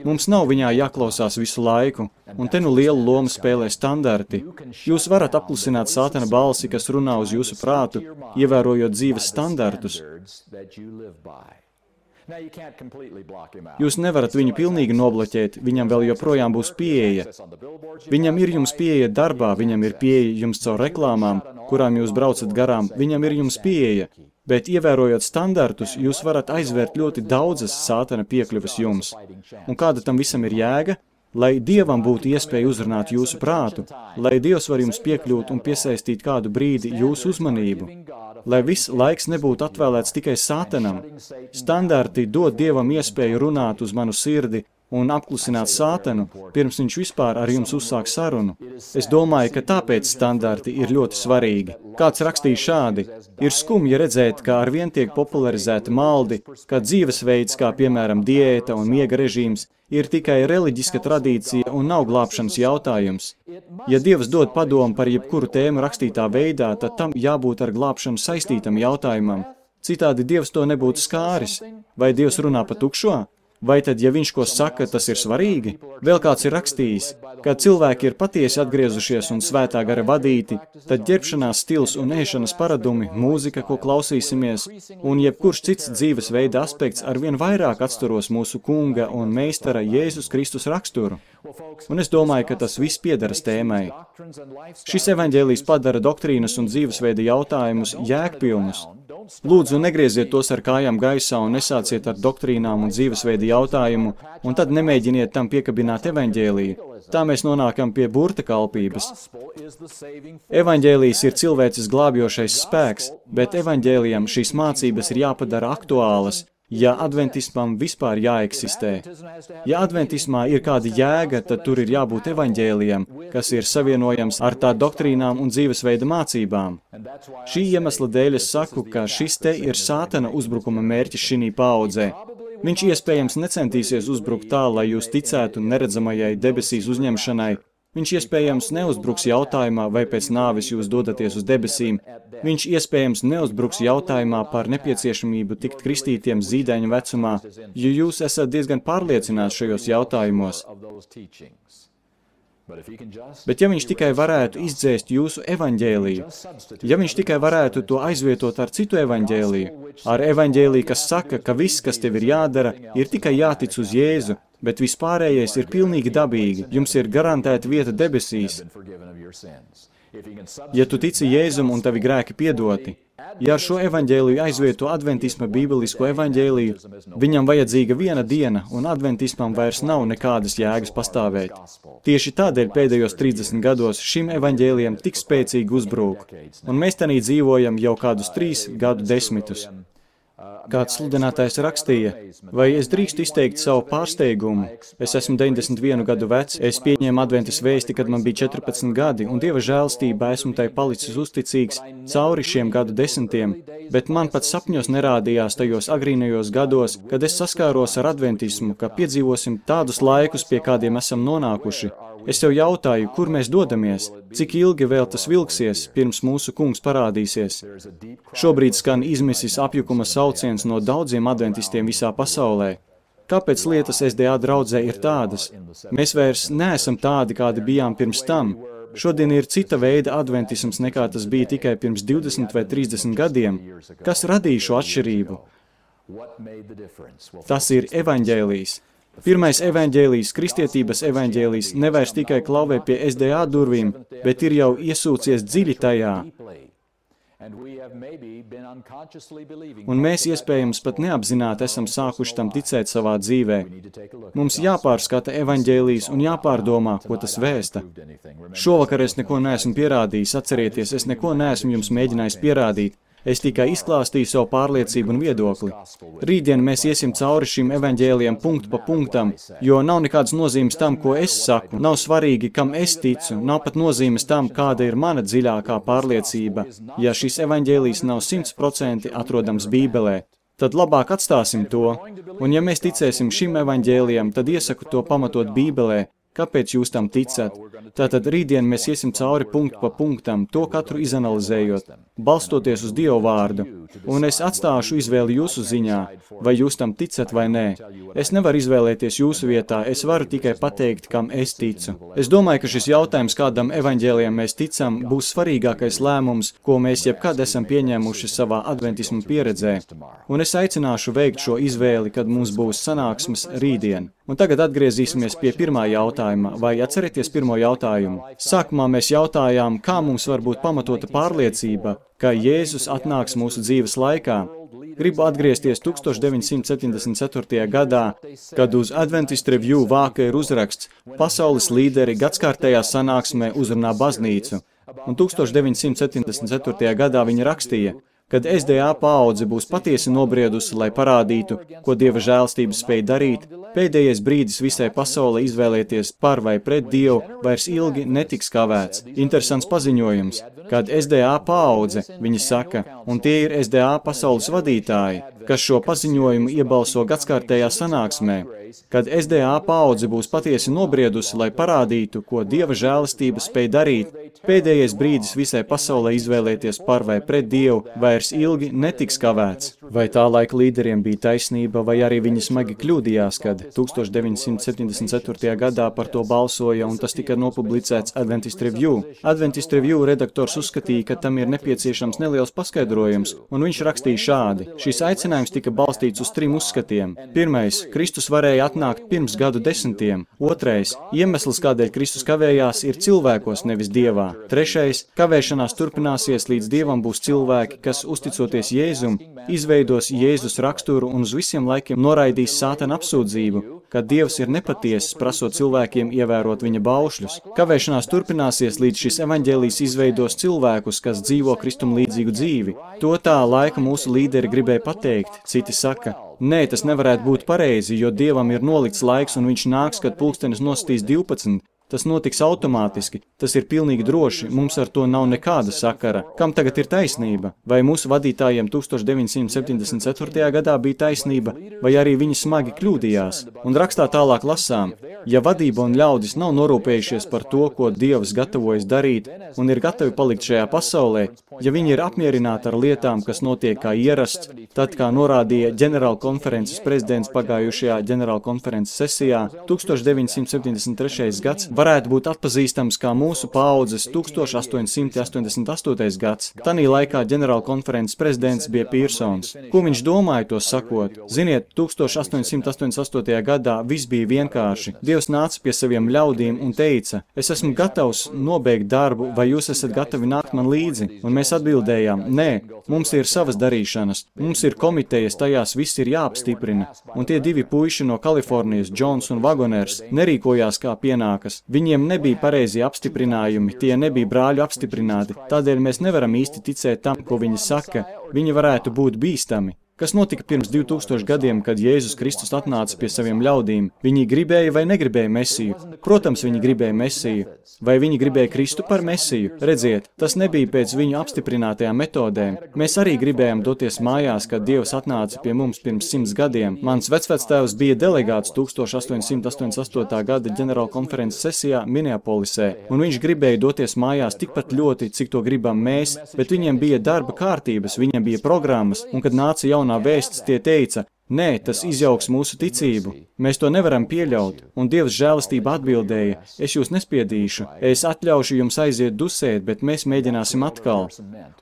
Mums nav viņā jāklausās visu laiku, un te nu lielu lomu spēlē standarti. Jūs varat apklusināt Sātana balsi, kas runā uz jūsu prātu, ievērojot dzīves standartus. Jūs nevarat viņu pilnīgi nobloķēt, viņam vēl joprojām būs pieeja. Viņam ir jums pieeja darbā, viņam ir pieeja jums caur reklāmām, kurām jūs braucat garām, viņam ir jums pieeja. Bet, ievērojot standartus, jūs varat aizvērt ļoti daudzas Sātana piekļuvas jums. Un kāda tam visam ir jēga? Lai Dievam būtu iespēja uzrunāt jūsu prātu, lai Dievs var jums piekļūt un piesaistīt kādu brīdi jūsu uzmanību, lai viss laiks nebūtu atvēlēts tikai Sātanam. Standarti dod Dievam iespēju runāt uz manu sirdi un apklusināt Sātanu, pirms viņš vispār ar jums uzsāk sarunu. Es domāju, ka tāpēc standarti ir ļoti svarīgi. Kāds rakstīja šādi: ir skumji redzēt, kā arvien tiek popularizēti maldi, kā dzīvesveids, kā piemēram diēta un miega režīms, ir tikai reliģiska tradīcija un nav glābšanas jautājums. Ja Dievs dod padomu par jebkuru tēmu rakstītā veidā, tad tam jābūt ar glābšanu saistītam jautājumam. Citādi Dievs to nebūtu skāris. Vai Dievs runā pa tukšo? Vai tad, ja viņš ko saka, tas ir svarīgi? Vēl kāds ir rakstījis, kad cilvēki ir patiesi atgriezušies un svētā gara vadīti, tad ģērbšanās stils un ēšanas paradumi, mūzika, ko klausīsimies, un jebkurš cits dzīvesveida aspekts arvien vairāk atsturos mūsu kunga un meistara Jēzus Kristus raksturu. Un es domāju, ka tas viss piederas tēmai. Šis evaņģēlijs padara doktrīnas un dzīvesveida jautājumus jēgpilnus. Lūdzu, negrieziet tos ar kājām gaisā un nesāciet ar doktrīnām un dzīvesveida jautājumu, un tad nemēģiniet tam piekabināt evaņģēliju. Tā mēs nonākam pie burta kalpības. Evaņģēlijs ir cilvēces glābjošais spēks, bet evaņģēlijam šīs mācības ir jāpadara aktuālas, ja adventismam vispār jāeksistē. Ja adventismā ir kāda jēga, tad tur ir jābūt evaņģēlijam, kas ir savienojams ar tā doktrīnām un dzīvesveida mācībām. Šī iemesla dēļ es saku, ka šis te ir sātana uzbrukuma mērķis šī paaudzē. Viņš iespējams necentīsies uzbrukt tā, lai jūs ticētu neredzamajai debesīs uzņemšanai. Viņš iespējams neuzbruks jautājumā, vai pēc nāves jūs dodaties uz debesīm. Viņš iespējams neuzbruks jautājumā par nepieciešamību tikt kristītiem zīdaiņa vecumā, jo jūs esat diezgan pārliecināti šajos jautājumos. Bet ja viņš tikai varētu izdzēst jūsu evaņģēliju, ja viņš tikai varētu to aizvietot ar citu evaņģēliju, ar evaņģēliju, kas saka, ka viss, kas tev ir jādara, ir tikai jātic uz Jēzu, bet vispārējais ir pilnīgi dabīgi, jums ir garantēta vieta debesīs. Ja tu tici Jēzum un tavi grēki piedoti, ja ar šo evaņģēliju aizvieto adventisma bībelisko evaņģēliju, viņam vajadzīga viena diena, un adventismam vairs nav nekādas jēgas pastāvēt. Tieši tādēļ pēdējos 30 gados šim evaņģēlijam tik spēcīgi uzbrūk, un mēs tanī dzīvojam jau kādus 3 gadu desmitus. Kāds sludinātājs rakstīja, vai es drīkstu izteikt savu pārsteigumu. Es esmu 91 gadu vecs, es pieņēmu adventas vēsti, kad man bija 14 gadi, un Dieva žēlstībā esmu tai palicis uzticīgs cauri šiem gadu desmitiem, bet man pat sapņos nerādījās tajos agrīnajos gados, kad es saskāros ar adventismu, ka piedzīvosim tādus laikus, pie kādiem esam nonākuši. Es tev jautāju, kur mēs dodamies, cik ilgi vēl tas vilksies, pirms mūsu kungs parādīsies. Šobrīd skan izmisis apjukuma sauciens no daudziem adventistiem visā pasaulē. Kāpēc lietas SDA draudzē ir tādas? Mēs vairs neesam tādi, kādi bijām pirms tam. Šodien ir cita veida adventisms, nekā tas bija tikai pirms 20 vai 30 gadiem. Kas radīja šo atšķirību? Tas ir evaņģēlijs. Pirmais evaņģēlijs, kristietības evaņģēlijs, nevairs tikai klauvē pie SDA durvīm, bet ir jau iesūcies dziļi tajā. Un mēs iespējams pat neapzināti esam sākuši tam ticēt savā dzīvē. Mums jāpārskata evaņģēlijs un jāpārdomā, ko tas vēsta. Šovakar es neko neesmu pierādījis, atcerieties, es neko neesmu jums mēģinājis pierādīt. Es tikai izklāstīju savu pārliecību un viedokli. Rītdien mēs iesim cauri šim evaņģēlijam punktu pa punktam, jo nav nekādas nozīmes tam, ko es saku. Nav svarīgi, kam es ticu, nav pat nozīmes tam, kāda ir mana dziļākā pārliecība. Ja šis evaņģēlijs nav 100% atrodams Bībelē, tad labāk atstāsim to. Un ja mēs ticēsim šim evaņģēlijam, tad iesaku to pamatot Bībelē. Kāpēc jūs tam ticat? Tātad rītdien mēs iesim cauri punktu pa punktam, to katru izanalizējot, balstoties uz Dievu vārdu. Un es atstāšu izvēli jūsu ziņā, vai jūs tam ticat vai nē. Es nevaru izvēlēties jūsu vietā, es varu tikai pateikt, kam es ticu. Es domāju, ka šis jautājums, kādam evaņģēlijam mēs ticam, būs svarīgākais lēmums, ko mēs jebkad esam pieņēmuši savā adventismu pieredzē. Un es aicināšu veikt šo izvēli, kad mums būs sanāksmes rītdien. Un tagad atgriezīsimies pie pirmā jautājuma, vai atcerieties pirmo jautājumu. Sākumā mēs jautājām, kā mums var būt pamatota pārliecība, ka Jēzus atnāks mūsu dzīves laikā. Gribu atgriezties 1974. gadā, kad uz Adventist Review vāka ir uzraksts Pasaules līderi gadskārtējā sanāksmē uzrunā baznīcu. Un 1974. gadā viņi rakstīja, kad SDA paudze būs patiesi nobriedusi, lai parādītu, ko Dieva žēlstība spēj darīt, pēdējais brīdis visai pasaulē izvēlēties par vai pret Dievu vairs ilgi netiks kavēts. Interesants paziņojums, kad SDA paudze, viņi saka, un tie ir SDA pasaules vadītāji, kas šo paziņojumu iebalso gadskārtējā sanāksmē, kad SDA paudze būs patiesi nobriedusi, lai parādītu, ko Dieva žēlastība spēj darīt, Pēdējais brīdis visai pasaulē izvēlēties par vai pret Dievu vairs ilgi netiks kavēts. Vai tā laika līderiem bija taisnība, vai arī viņi smagi kļūdījās, kad 1974. gadā par to balsoja un tas tika nopublicēts Adventist Review. Adventist Review redaktors uzskatīja, ka tam ir nepieciešams neliels paskaidrojums, un viņš rakstīja šādi. Šis aicinājums tika balstīts uz 3 uzskatiem. Pirmais, Kristus varēja atnākt pirms gadu desmitiem. Otrais, iemesls, kādēļ Kristus kavējās, ir cilvēkos, nevis Dievā. Trešais, kavēšanās turpināsies, līdz Dievam būs cilvēki, kas, uzticoties Jēzum, izveidos Jēzus raksturu un uz visiem laikiem noraidīs Sātana apsūdzību, ka Dievs ir nepatiesas, prasot cilvēkiem ievērot viņa baušļus. Kavēšanās turpināsies, līdz šis evaņģēlijs izveidos cilvēkus, kas dzīvo Kristum līdzīgu dzīvi. To tā laika mūsu līderi gribēja pateikt, citi saka, nē, tas nevarētu būt pareizi, jo Dievam ir nolikts laiks un viņš nāks, kad pulkstenis nostīs 12. Tas notiks automātiski, tas ir pilnīgi droši, mums ar to nav nekāda sakara. Kam tagad ir taisnība? Vai mūsu vadītājiem 1974. gadā bija taisnība, vai arī viņi smagi kļūdījās? Un rakstā tālāk lasām, ja vadība un ļaudis nav norūpējušies par to, ko Dievs gatavojas darīt un ir gatavi palikt šajā pasaulē, ja viņi ir apmierināti ar lietām, kas notiek kā ierasts, tad, kā norādīja ģenerālkonferences prezidents pagājušajā ģenerālkonferences sesijā, 1973. gads varētu būt atpazīstams kā mūsu paaudzes 1888. gads. Tanī laikā ģenerālkonferences prezidents bija Pīrsons. Ko viņš domāja to sakot? Ziniet, 1888. gadā viss bija vienkārši. Dievs nāca pie saviem ļaudīm un teica, es esmu gatavs nobeigt darbu, vai jūs esat gatavi nākt man līdzi? Un mēs atbildējām, nē, mums ir savas darīšanas, mums ir komitejas, tajās viss ir jāapstiprina. Un tie 2 puiši no Kalifornijas, Džons un Wagoners, nerīkojās kā pienākas. Viņiem nebija pareizie apstiprinājumi, tie nebija brāļu apstiprināti, tādēļ mēs nevaram īsti ticēt tam, ko viņi saka, viņi varētu būt bīstami. Kas notika pirms 2000 gadiem, kad Jēzus Kristus atnāca pie saviem ļaudīm? Viņi gribēja vai negribēja Mesiju? Protams, viņi gribēja Mesiju. Vai viņi gribēja Kristu par Mesiju? Redziet, tas nebija pēc viņu apstiprinātajām metodēm. Mēs arī gribējām doties mājās, kad Dievs atnāca pie mums pirms 100 gadiem. Mans vecvectēvs bija delegāts 1888. gada ģenerālkonferences sesijā Minneapolisē, un viņš gribēja doties mājās tikpat ļoti, cik to gribam mēs, bet viņiem bija darba kārtības, viņiem bija programmas, un kad nāca jaunā vēsts, tie teica, nē, tas izjauks mūsu ticību. Mēs to nevaram pieļaut. Un Dievs žēlastība atbildēja, es jūs nespiedīšu, es atļaušu jums aiziet dusēt, bet mēs mēģināsim atkal.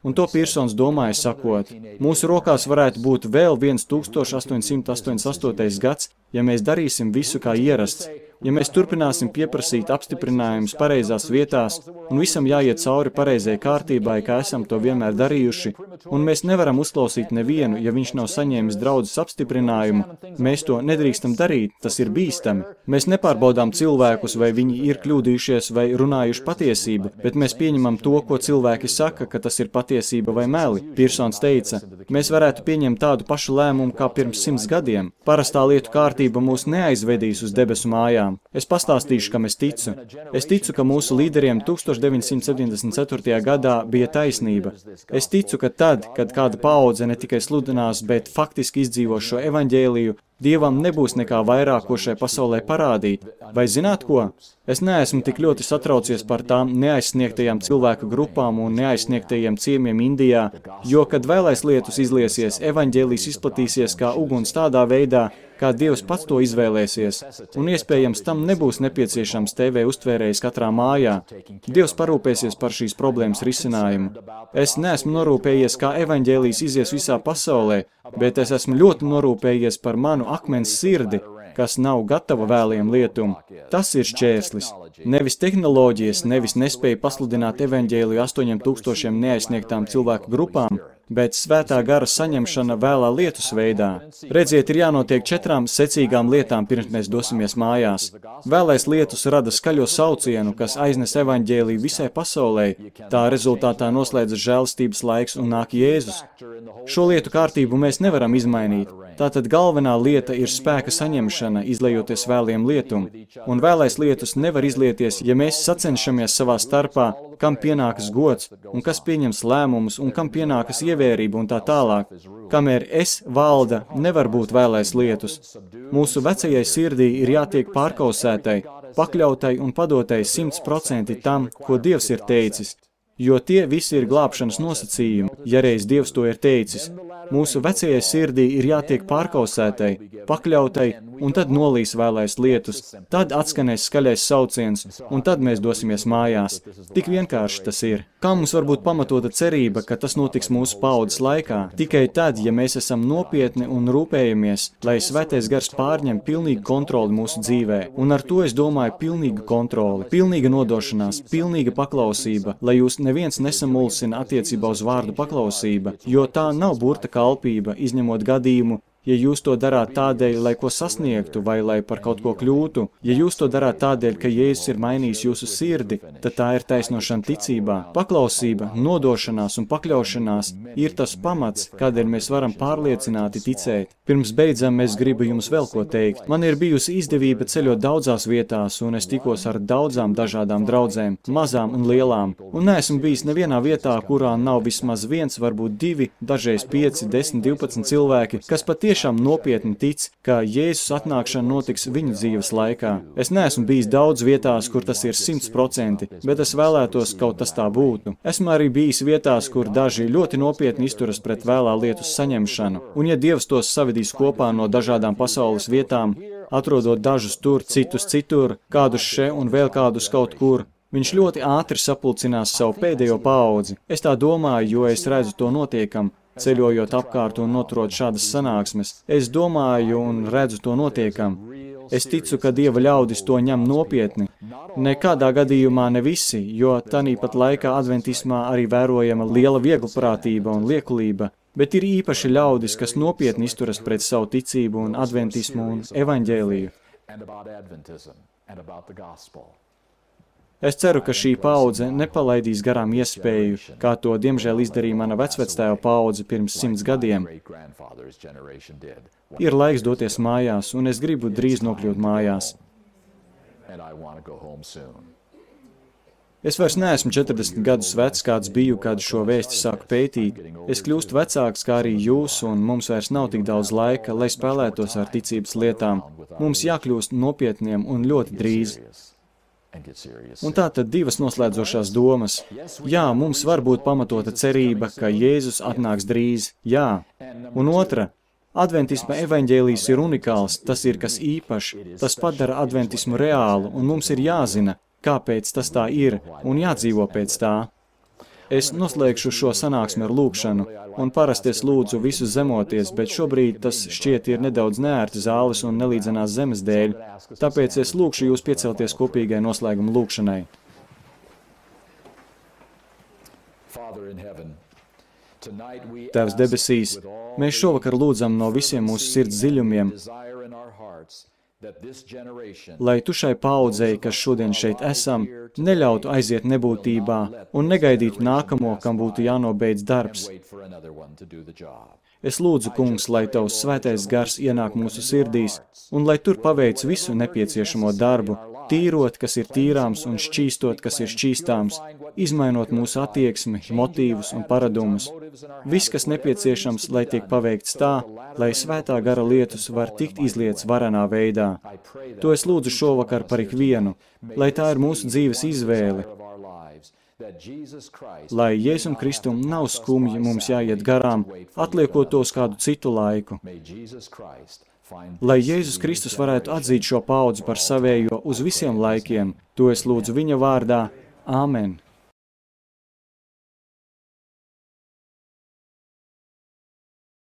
Un to Pīrsons domāja sakot, mūsu rokās varētu būt vēl viens 1888. gads, ja mēs darīsim visu kā ierasts. Ja mēs turpināsim pieprasīt apstiprinājumus pareizās vietās un visam jāiet cauri pareizai kārtībai, kā esam to vienmēr darījuši, un mēs nevaram uzklausīt nevienu, ja viņš nav saņēmis draudzes apstiprinājumu, mēs to nedrīkstam darīt, tas ir bīstami. Mēs nepārbaudām cilvēkus, vai viņi ir kļūdījušies vai runājuši patiesību, bet mēs pieņemam to, ko cilvēki saka, ka tas ir patiesība vai meli. Pīrsons teica, mēs varētu pieņemt tādu pašu lēmumu kā pirms 100 gadiem. Parastā lietu kārtība mūs neaizvedīs uz debesu mājām. Es pastāstīšu, kam es ticu. Es ticu, ka mūsu līderiem 1974. gadā bija taisnība. Es ticu, ka tad, kad kāda paudze ne tikai sludinās, bet faktiski izdzīvo šo evaņģēliju, Dievam nebūs nekā vairāk, ko šai pasaulē parādīt. Vai zināt ko? Es neesmu tik ļoti satraucies par tām neaizsniegtajām cilvēku grupām un neaizsniegtajiem ciemiem Indijā, jo, kad vēlais lietus izliesies, evaņģēlijs izplatīsies kā uguns tādā veidā, kā Dievs pats to izvēlēsies, un iespējams tam nebūs nepieciešams TV uztvērējs katrā mājā. Dievs parūpēsies par šīs problēmas risinājumu. Es neesmu norūpējies, kā evaņģēlijs izies visā pasaulē, bet es esmu ļoti norūpējies par manu akmens sirdi, kas nav gatava vēliem lietum. Tas ir šķērslis. Nevis tehnoloģijas, nevis nespēja pasludināt evaņģēliju 8000 neaizsniegtām cilvēku grupām, bet svētā gara saņemšana vēlā lietus veidā. Redziet, ir jānotiek 4 secīgām lietām, pirms mēs dosimies mājās. Vēlais lietus rada skaļo saucienu, kas aiznes evaņģēliju visai pasaulē. Tā rezultātā noslēdzas žēlastības laiks un nāk Jēzus. Šo lietu kārtību mēs nevaram izmainīt. Tātad galvenā lieta ir spēka saņemšana, izlejoties vēliem lietum. Un vēlais lietus nevar izlieties, ja mēs sacenšamies savā starpā, kam pienākas gods, un kas pieņems lēmumus, un kam pienākas ievērība un tā tālāk. Kamēr es valda, nevar būt vēlais lietus. Mūsu vecajai sirdī ir jātiek pārkausētai, pakļautai un padotai 100% tam, ko Dievs ir teicis, jo tie visi ir glābšanas nosacījumi, ja reiz Dievs to ir teicis. Mūsu vecajai sirdī ir jātiek pārkausētai, pakļautai, un tad nolīs vēlais lietus, tad atskanēs skaļais sauciens, un tad mēs dosimies mājās. Tik vienkārši tas ir. Kā mums var būt pamatota cerība, ka tas notiks mūsu paaudzes laikā? Tikai tad, ja mēs esam nopietni un rūpējamies, lai Svētais Gars pārņem pilnīgu kontroli mūsu dzīvē. Un ar to es domāju pilnīgu kontroli, pilnīga nodošanās, pilnīga paklausība, lai jūs neviens nesamulsina attiecībā uz vārdu paklausība, jo tā nav burta kalpība, izņemot gadījumu, ja jūs to darāt tādēļ, lai ko sasniegtu vai lai par kaut ko kļūtu, ja jūs to darāt tādēļ, ka Jēzus ir mainījis jūsu sirdi, tad tā ir taisnošana ticībā. Paklausība, nodošanās un pakļaušanās ir tas pamats, kādēļ mēs varam pārliecināti ticēt. Pirms beidzam es gribu jums vēl ko teikt. Man ir bijusi izdevība ceļot daudzās vietās, un es tikos ar daudzām dažādām draudzēm, mazām un lielām, un neesmu bijis nevienā vietā, kurā nav vismaz viens, varbūt 2, dažreiz 5, 10, 12 cilvēki, kas patiešām nopietni tic, ka Jēzus atnākšana notiks viņu dzīves laikā. Es neesmu bijis daudz vietās, kur tas ir 100%, bet es vēlētos, kaut tas tā būtu. Esmu arī bijis vietās, kur daži ļoti nopietni izturas pret vēlā lietu saņemšanu, un ja Dievs tos savedīs kopā no dažādām pasaules vietām, atrodot dažus tur, citus citur, kādus še un vēl kādus kaut kur, viņš ļoti ātri sapulcinās savu pēdējo paudzi. Es tā domāju, jo es redzu to notiekam, ceļojot apkārt un noturot šādas sanāksmes. Es domāju un redzu to notiekam. Es ticu, ka Dieva ļaudis to ņem nopietni. Nekādā gadījumā ne visi, jo tanīpat laikā adventismā arī vērojama liela vieglprātība un liekulība, bet ir īpaši ļaudis, kas nopietni izturas pret savu ticību un adventismu un evaņģēliju. Es ceru, ka šī paudze nepalaidīs garām iespēju, kā to diemžēl izdarīja mana vecvectēva paudze pirms 100 gadiem. Ir laiks doties mājās, un es gribu drīz nokļūt mājās. Es vairs neesmu 40 gadus vecs, kāds biju, kad šo vēsti sāku pētīt. Es kļūstu vecāks, kā arī jūs, un mums vairs nav tik daudz laika, lai spēlētos ar ticības lietām. Mums jākļūst nopietniem un ļoti drīz. Un tā tad 2 noslēdzošās domas. Jā, mums var būt pamatota cerība, ka Jēzus atnāks drīz. Jā. Un otra. Adventisma evaņģēlijs ir unikāls, tas ir kas īpašs, tas padara adventismu reālu, un mums ir jāzina, kāpēc tas tā ir, un jādzīvo pēc tā. Es noslēgšu šo sanāksmi ar lūgšanu, un parasti es lūdzu visus zemoties, bet šobrīd tas šķiet ir nedaudz neērti zāles un nelīdzenās zemes dēļ, tāpēc es lūgšu jūs piecelties kopīgai noslēguma lūgšanai. Tēvs debesīs, mēs šovakar lūdzam no visiem mūsu sirds dziļumiem, lai tu šai paaudzei, kas šodien šeit esam, neļautu aiziet nebūtībā un negaidītu nākamo, kam būtu jānobeidz darbs. Es lūdzu, kungs, lai tavs svētais gars ienāk mūsu sirdīs un lai tur paveic visu nepieciešamo darbu, tīrot, kas ir tīrāms un šķīstot, kas ir šķīstāms, izmainot mūsu attieksmi, motīvus un paradumus. Viss, kas nepieciešams, lai tiek paveikts tā, lai svētā gara lietus var tikt izlietas varenā veidā. To es lūdzu šovakar par ikvienu, lai tā ir mūsu dzīves izvēle, lai Jēzum Kristum nav skumji mums jāiet garām, atliekot to uz kādu citu laiku. Lai Jēzus Kristus varētu atzīt šo paudzi par savējo uz visiem laikiem, to es lūdzu viņa vārdā. Āmen.